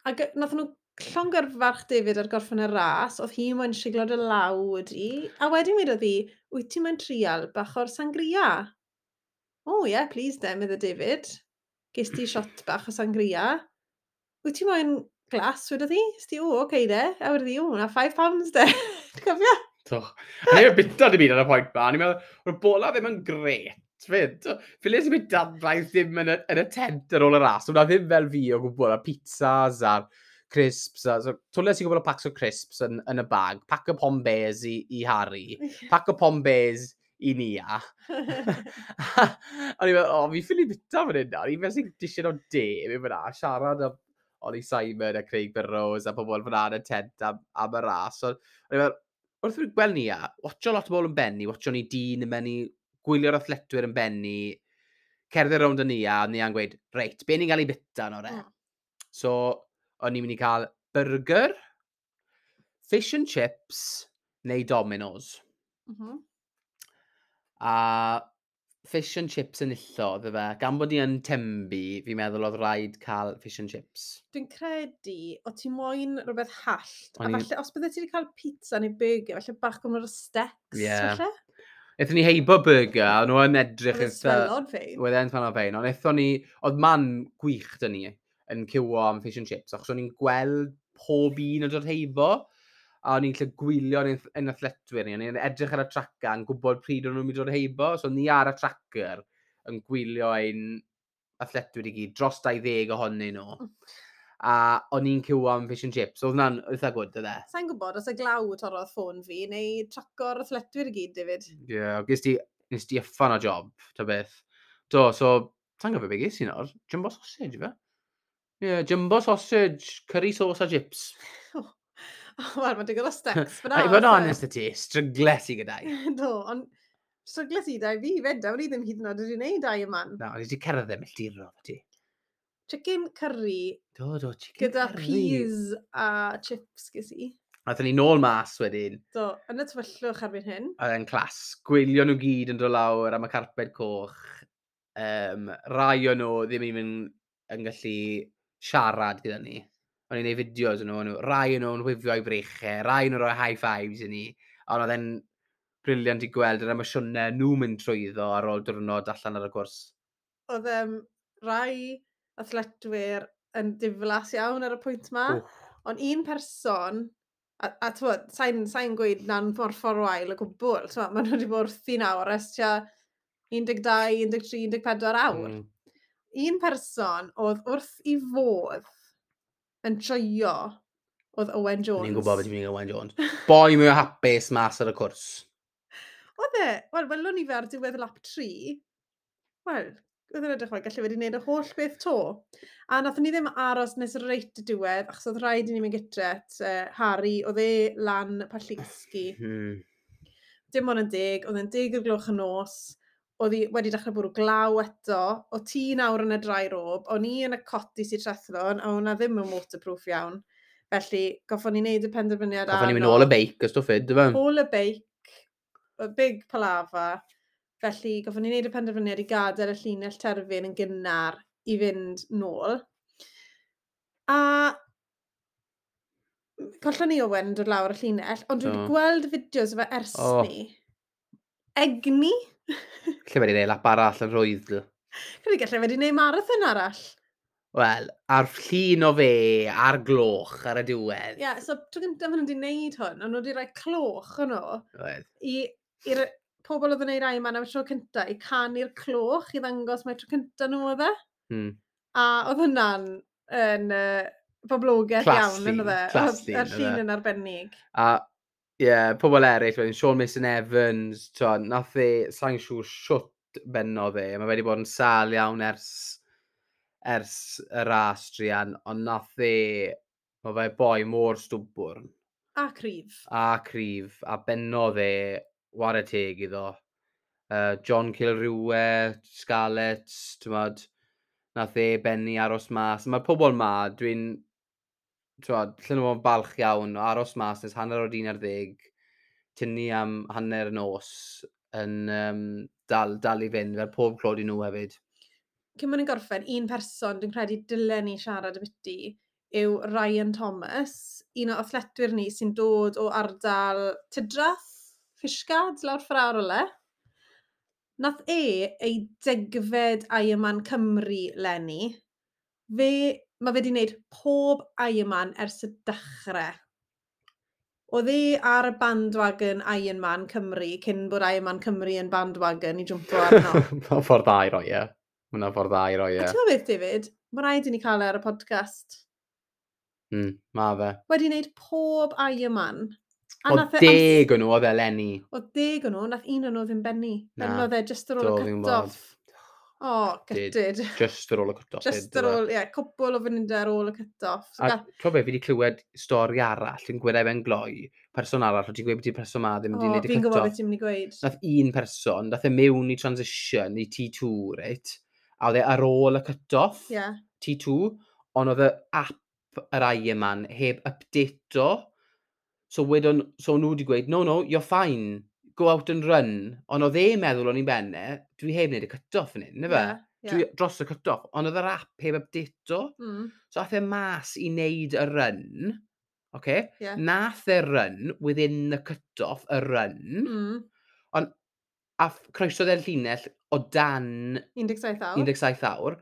Ac nath nhw llongyfarch David ar gorffen y ras, oedd hi moyn siglo dy law di, a wedyn wedodd hi, "Wyt ti moyn trial bach o'r sangria?" "Oh yeah, please then," medde David. "Ges ti shot bach o sangria. Wyt ti moyn glas?" wedodd hi. Ys ti, "O, oce okay, de." A wedodd hi, "O, na £5 de." Ti'n cofio? Do. A ni'n bita dim byd ar y pwynt ma. Ni'n meddwl, mae'r bola ddim yn gret, fyd. Ffiles i bita braidd ddim yn y tent ar ôl y ras. Hwna ddim fel fi o gwbl, a pizzas a'r crisps. A, so, twles i gwbl o packs o crisps yn y bag. Pack o Pom-Bears i Harry. Pack o Pom-Bears i Nia. O'n i'n meddwl, o, fi ffili bita fan hyn nawr. I'n fel sy'n disian o de, fi'n fyna, siarad am Ollie Simon a Craig Burrows a pobl fyna yn y tent am y ras. So, o'n i'n meddwl, wrth i fi gweld Nia, watcho lot o bobl yn benni, watcho ni dyn yn benni, gwylio'r athletwyr yn benni, cerdded rownd y Nia, a Nia'n gweud, "Reit, be ni'n cael ei bita nawr e?" So, o'n i'n mynd i cael burger, fish and chips, neu Domino's. A fish and chips yn illodd, fe. Gan bod ni yn Tenby, fi'n meddwl oedd rhaid cael fish and chips. Dwi'n credu, o ti moyn rhywbeth hallt, a falle, os bydde ti wedi cael pizza neu burger, falle bach gormod o steaks, falle? Aethon ni heibo burger, a nhw yn edrych Oedd e'n smelo'n ffein. Oedd e'n smelo'n ffein, ond aethon ni, oedd man gwych dyn ni yn ciwo am fish and chips, achos o'n i'n gweld pob un yn dod heibo, a o'n i'n gallu gwylio ein athletwyr ni, o'n i'n edrych ar y tracker yn gwybod pryd o'n nhw'n mynd i dod heibo, so ni ar y tracker yn gwylio ein athletwyr i gyd, dros 20 ohonyn nhw. A o'n i'n ciwo am fish and chips, oedd hwnna'n eitha good, oedd e? Sa'n gwybod os y glaw torrodd ffôn fi, neu traco'r athletwyr i gyd, David. Ie, yeah, nes ti yffan o job, ta beth. Do, so, sa'n gwybod beth ges i nawr? Jumbo sausage, fe? Ie, yeah, jumbo sausage, curry sauce a chips. Wel, mae'n digon o steaks fyna. A i fod yn honest y ti, strygles i gyda'i. Do, ond strygles i da i fi fyd, a o'n i ddim hyd yn oed wedi gwneud Ironman. Na, o'n i wedi cerdded milltirodd ti. Chicken curry Do, chicken gyda curry. Peas a chips ges i. Aethon ni nôl mas wedyn, Do, yn y tywyllwch erbyn hyn. Oedd e'n class. Gwylio nhw gyd yn dod lawr am y carped coch. Rai o nhw ddim even yn gallu siarad gyda ni. O'n i'n neud fideos o'n nhw, rai o'n nhw'n wifio i breichau, rai o'n nhw'n rhoi high fives i ni. Ond oedd e'n brilliant i gweld yr emosiynau nhw'n mynd trwyddo ar ôl diwrnod allan ar y cwrs. Oedd rai athletwyr yn diflas iawn ar y pwynt ma. Wff. Ond un person A t'mod, sa'n gweud na'n ffordd wael o gwbl. T'mod, maen nhw wedi bod wrthi nawr ers tua 12, 13, 14 awr. Un person oedd wrth i fodd yn joio oedd Owen Jones. Ni'n gwybod beth i'n mynd i Owen Jones. Boi mwy o hapus mas ar y cwrs. Oedd e, wel, welwn ni fe ar diwedd lap 3. Wel, oedd e'n edrych fel gallu wedi gwneud y holl beth to. A nathon ni ddim aros nes reit y diwedd, achos oedd rhaid i ni mynd gytre at Harry, oedd e lan Pallisgi. Dim ond yn 10, oedd e'n 10 o'r gloch y nos, oedd hi wedi dechrau bwrw glaw eto, o ti nawr yn y dry robe, o'n i yn y coti sy'n trethlon, a hwnna ddim yn waterproof iawn. Felly, goffon ni wneud y penderfyniad. Goffon ni mynd ôl y beic, ys ffyd, dy fe? Ôl y beic, y big palava. Felly, goffon ni wneud y penderfyniad i gadael y llinell terfyn yn gynnar i fynd nôl. A collon ni Owen yn dod lawr y llinell, ond dwi wedi gweld fideos o fe ers ni. Egni. Lle wedi gwneud lap arall yn rhwydd. Credu gallai wedi gwneud marathon arall. Wel, a'r llun o fe, a'r gloch ar y diwedd. Ie, yeah, so tro gyntaf maen nhw wedi gwneud hwn, ond nhw wedi rhoi cloch yn nhw Oedd. i'r pobl oedd yn gwneud Ironman am y tro cyntaf i canu'r cloch i ddangos mai tro cyntaf nhw oedd e. A oedd hwnna'n yn boblogaidd Class iawn, yn llun, oedd e? class Oedd yr llun, llun oedd e. yn arbennig. A, ie, yeah, pobl eraill, wedyn Sean Mason Evans, t'wo, nath e, sa'n siŵr shwt bennodd e, mae wedi bod yn sâl iawn ers y ras druan, ond nath e, mae fe boi mor stwbwrn A cryf. A cryf, a bennodd e, ware teg iddo. John Kilrue, Scarlets, t'mod, nath e bennu aros mas. Mae'r pobl ma, dwi'n, t'mod, allan nhw fod yn balch iawn o aros mas nes 11:30, tynnu am hanner y nos yn dal i fynd, fel pob clod i nhw hefyd. Cyn bod ni'n gorffen, un person dwi'n credu dylen ni siarad ambiti yw Ryan Thomas, un o athletwyr ni sy'n dod o ardal Tydrath, Fishguard, lawr ffordd ar ole. Nath e ei 10fed Ironman Cymru leni. Mae fe wedi gwneud pob Ironman ers y dechrau. Oedd e ar y bandwagon Ironman Cymru cyn bod Ironman Cymru yn bandwagon i jwmpo arno. Mae'n ffordd dda i roi e. Mae'n ffordd dda i roi A e. ti'n gwybod beth, David? Mae rhaid i ni cael e ar y podcast. Ma fe. Wedi wneud pob Ironman. A O nath e 10 o'n nhw oedd eleni. Oedd 10 o'n nhw, nath un o'n nhw ddim bennu. Na. Bennodd e just ar ôl Do, y fi'n cut-off. O, Gutted. gutted. Just ar ôl y cut-off. Just ar ôl, ie, yeah, cwpl o funudau ar ôl y cut-off. So, A ti'n be, fi wedi clywed stori arall yn gweud ben gloi, person arall, o ti'n gweud bod ti'n person ma ddim wedi o, gwneud y fi'n gwybod cut-off. beth ti'n mynd i gweud. Nath un person, nath e mewn i transition i T2, reit? A oedd e ar ôl y cut-off, T2, ond oedd y app yr Ironman heb update-o. So wedon, so nhw wedi gweud, "No, no, you're fine, go out and run." Ond oedd e'n meddwl o'n i'n benne, dwi heb wneud y cut-off yn hyn, na fe? Ie, Dwi ie. dros y cut-off, ond oedd yr app heb update-o. So ath e mas i wneud y run, okay? Nath e run within the cut-off, y run, ond a croesodd e'r llinell o dan 17 awr. 17 awr,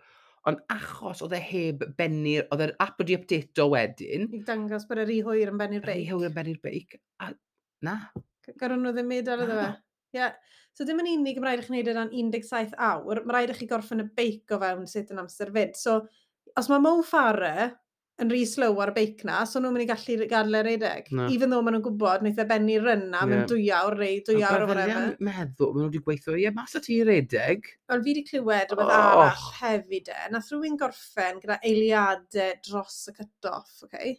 ond achos oedd e heb bennu'r, oedd yr app wedi update-o wedyn, I dangos bod e rhy hwyr yn bennu'r rhy beic. hwyr yn bennu'r beic, a na. Garon nhw ddim medal iddo fe. Na. Ie. Yeah. So dim yn unig mae rhaid i chi wneud e dan 17 awr, mae rhaid i chi gorffen y beic o fewn sut yn amser fyd. So, os mae Mo Farah yn rhy slow ar y beic na, so nhw'n mynd i gallu gadael e redeg. Na. Even though maen nhw'n gwybod, wnaeth e bennu run na mewn 2 awr neu 2 awr o whatever. Yn meddwl, maen nhw wedi gweithio, ie, mas o ti i redeg. Ond fi wedi clywed rhywbeth Och. arall hefyd e. Nath rhywun gorffen gyda eiliadau dros y cut-off, okay?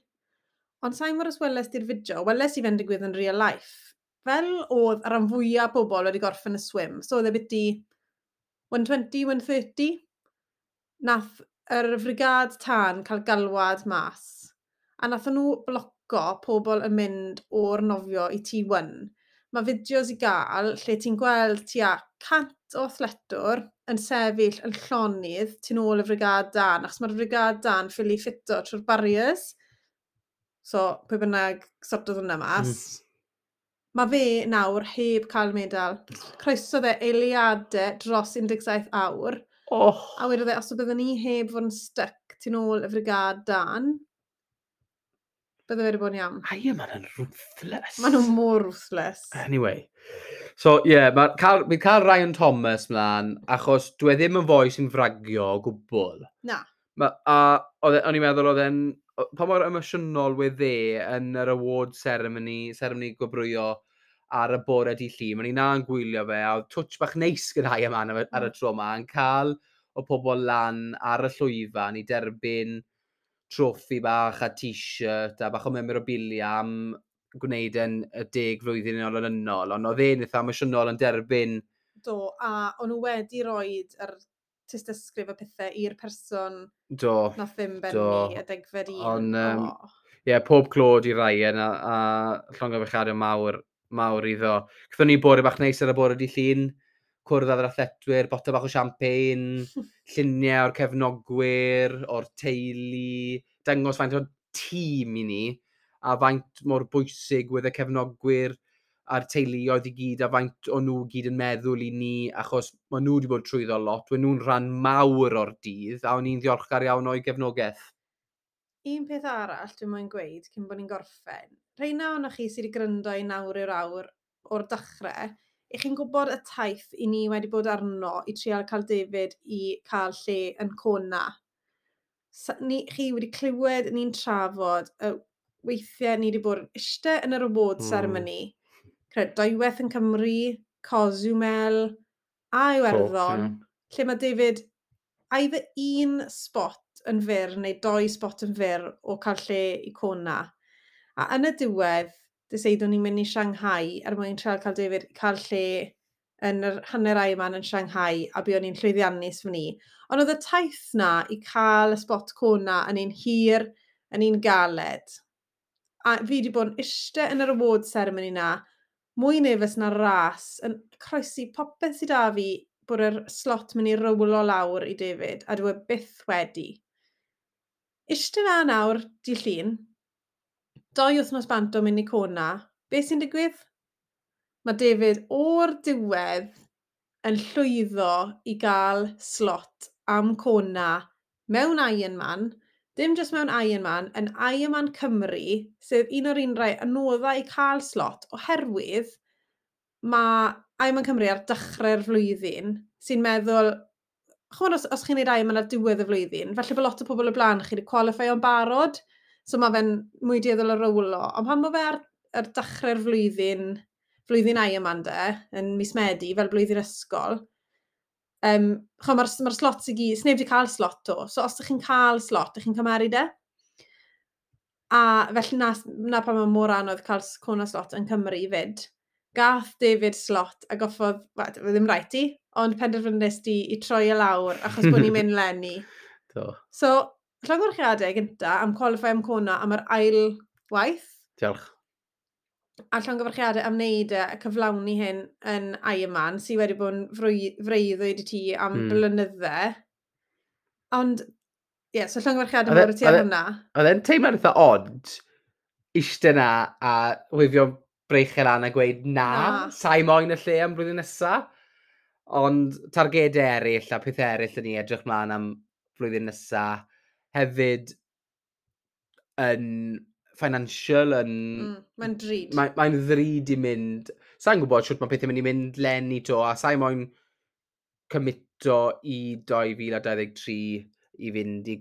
Ond sa'n mor os weles di'r fideo, weles i fe'n digwydd yn real life. Fel oedd y rhan fwyaf bobl wedi gorffen y swim, so oedd e biti 120, 130, nath yr frigad tân cael galwad mas. A nath nhw bloco pobl yn mynd o'r nofio i T1. Mae fideos i gael lle ti'n gweld tua 100 o athletwr yn sefyll yn llonydd tu nôl y frigad dân, achos mae'r frigad dân ffili ffito trwy'r barriers. So, pwy bynnag sortodd hwnna mas. Mae fe nawr heb cael medal. Croesodd e eiliadau dros 17 awr. Oh. A wedodd e, os byddwn ni heb fod yn stuck tu nôl y frigad dân, Bydde fe wedi bod yn iawn. Ironman yn ruthless. Maen nhw mor ruthless. Anyway. So, ie, yeah, mi'n cael Ryan Thomas mlaen, achos dwi e ddim yn foi sy'n fragio o gwbl. Na. A o'n i'n meddwl oedd e'n, pa mor emosiynol wedd e yn yr award ceremony, ceremony gwobrwyo ar y bore di Llun. O'n i na'n gwylio fe, a oedd touch bach neis gyda Ironman ar y tro yma, yn cael o pobl lan ar y llwyfan i derbyn troffi bach a t-shirt a bach o memorabilia am gwneud yn y 10 flwyddyn yn olynol, ond oedd e'n eitha emosiynol yn derbyn. Do, a o'n nhw wedi roed yr tystysgrif a pethau i'r person nath ddim bennu y 10fed un. Ond, ie, pob clod i Ryan a llongyfarchiadau mawr, mawr iddo. Gaethon ni bore bach neis ar y bore di Llun, cwrdd â'r athletwyr, botel bach o champagne, lluniau o'r cefnogwyr, o'r teulu, dangos faint o tîm i ni, a faint mor bwysig wedd y cefnogwyr a'r teuluoedd i gyd, a faint o nhw gyd yn meddwl i ni, achos maen nhw wedi bod trwyddo lot, wed nhw'n rhan mawr o'r dydd, a o'n i'n ddiolchgar iawn o'i gefnogaeth. Un peth arall dwi'n moyn gweud cyn bod ni'n gorffen, rheina ohonoch chi sydd wedi gryndo i nawr i'r awr o'r dechrau, i chi'n gwybod y taith i ni wedi bod arno i trial cael David i cael lle yn Kona. Chi wedi clywed ni'n trafod y weithiau ni wedi bod yn eistedd yn yr award ceremony. Cred, dwywaith yn Cymru, Cozumel a Iwerddon, lle mae David either un spot yn fyr neu 2 spot yn fyr o cael lle i Kona. A yn y diwedd, deseidwn ni'n mynd i Shanghai er mwyn trial cael David cael lle yn yr hanner Ironman yn Shanghai, a buon ni'n llwyddiannus fan ni. Ond oedd y taith na i cael y spot Kona yn un hir, yn un galed. A fi wedi bod yn eistedd yn yr award ceremony na, mwy nervous na'r ras, yn croesi popeth sydd â fi bod yr slot mynd i rowlo lawr i David, a dwi e byth wedi. Eistedd na nawr, di Llun, 2 wythnos bant o mynd i Kona, beth sy'n digwydd? Mae David o'r diwedd yn llwyddo i gael slot am Kona mewn Ironman, dim jyst mewn Ironman, yn Ironman Cymru, sef un o'r un rai anoddau i cael slot, oherwydd mae Ironman Cymru ar dechrau'r flwyddyn, sy'n meddwl, ch'mod os chi'n neud Ironman ar diwedd y flwyddyn, falle bod lot o pobl o blaen chi wedi qualify o'n barod, so mae fe'n mwy dueddol o rowlo. Ond pan mae fe ar dechrau'r flwyddyn, flwyddyn Ironman de, yn mis Medi, fel blwyddyn ysgol, mae'r slots i gyd, sneb wedi cael slot o. So os ydych chi'n cael slot, ydych chi'n cymeru de. A felly na pan mae mor anodd cael Kona slot yn Cymru fyd. Gath David slot a goffodd, wel, ddim rhaid i, ond penderfynnes di i troi e lawr achos bod ni'n mynd leni. Do. So, llongyfarchiadau gynta am qualify am Kona am yr ail waith. Diolch. A llongyfarchiadau am wneud e a cyflawni hyn yn Ironman, sydd wedi bod yn freuddwyd i ti am blynydde. Ond, ie, yeah, so llongyfarchiadau mawr i ti ar hwnna. Oedd e'n teimlo'n eitha odd, eistedd na a wifio breichau lan a gweud na, sa'i moyn y lle am blwyddyn nesa. Ond targedau eraill a pethau eraill yn ni edrych mlaen am flwyddyn nesa. Hefyd yn financial, yn... Mae'n drud. Mae'n ddrud i mynd. Sa'n gwybod shwt mae pethau'n mynd i mynd leni to, a sa'i moyn cymito i 2023 i fynd i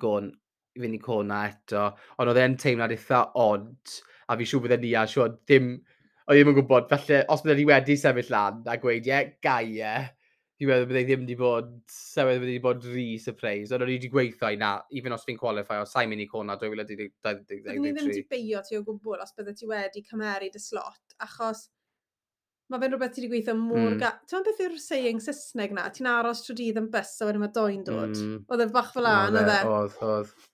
Kona eto. Ond oedd e'n teimlad eitha odd, a fi siŵr bydde ni a siŵr ddim, oedd ddim yn gwybod, falle os bydde ni wedi sefyll lan a gweud, ie, gai e, fi'n meddwl bydde ddim wedi bod, sa'n meddwl bydde wedi bod rhy surprise, ond o'n i wedi gweithio i na, even os fi'n qualify, os sa'n mynd i Kona 2023. Byddwn ni ddim wedi beio ti o gwbl os bydde ti wedi cymeru dy slot, achos mae fe'n rhywbeth ti wedi gweithio mor Ti'n meddwl beth yw'r saying Saesneg na? Ti'n aros trwy dydd yn bus a wedyn mae doi'n dod. Oedd e bach fel 'na, Oedd e, oedd e? Oedd, oedd.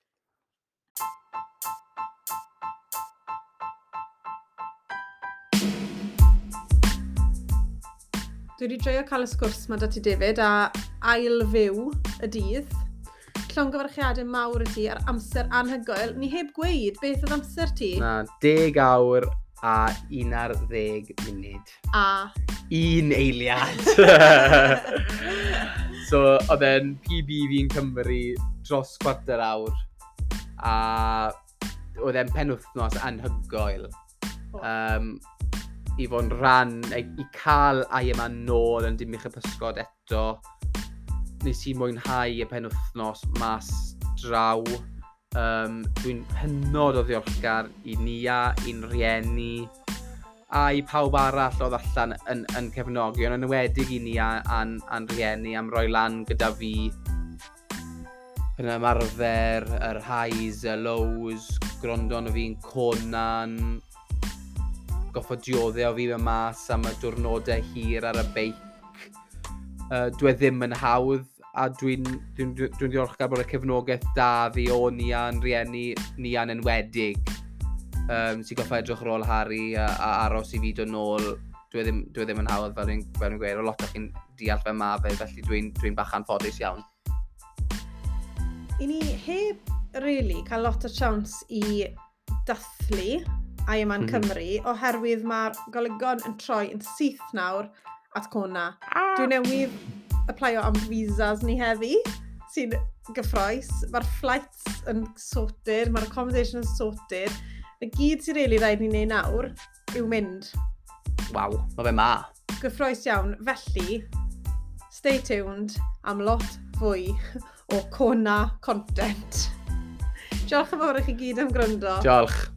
Dwi wedi joio cael y sgwrs ma da ti, David, a ail fyw y dydd. Llongyfarchiadau mawr i ti ar amser anhygoel. Ni heb gweud beth oedd amser ti. Na, 10 awr a 11 munud. A? 1 eiliad. So, oedd e'n PB fi'n Cymru dros chwarter awr. A Oedd e'n penwythnos anhygoel. Oh. I fod yn rhan, i cael Ironman nôl yn Dinbych y Pysgod eto. Nes i mwynhau y penwythnos mas draw. Dwi'n hynod o ddiolchgar i Nia, i'n rieni, a i pawb arall oedd allan yn cefnogi, ond yn enwedig i Nia a'n rieni am roi lan gyda fi yn ymarfer, yr highs, y lows, gwrando arno fi'n Conan, goffod dioddef o fi mewn mas am y diwrnodau hir ar y beic. Dwi e ddim yn hawdd, a dwi ddiolchgar bod y cefnogaeth da fi o Nia'n rieni, Nia'n enwedig, sy'n goffa edrych ar ôl Harry a aros i fi dod nôl. Dwi e ddim yn hawdd, fel dwi'n gweud, o lot o chi'n deall fe ma fe, felly dwi bach anffodus iawn. I ni heb really cael lot o chance i dathlu Ironman Cymru, oherwydd mae'r golygon yn troi yn syth nawr at Kona. Dwi newydd applio am visas ni heddi, sy'n gyffrous. Mae'r flights yn sorted, mae'r accommodation yn sorted. Y gyd sy'n really rhaid ni wneud nawr yw mynd. Waw, mae fe ma. Gyffrous iawn. Felly, stay tuned am lot fwy o Kona content. Diolch yn fawr i chi gyd am gryndo. Diolch.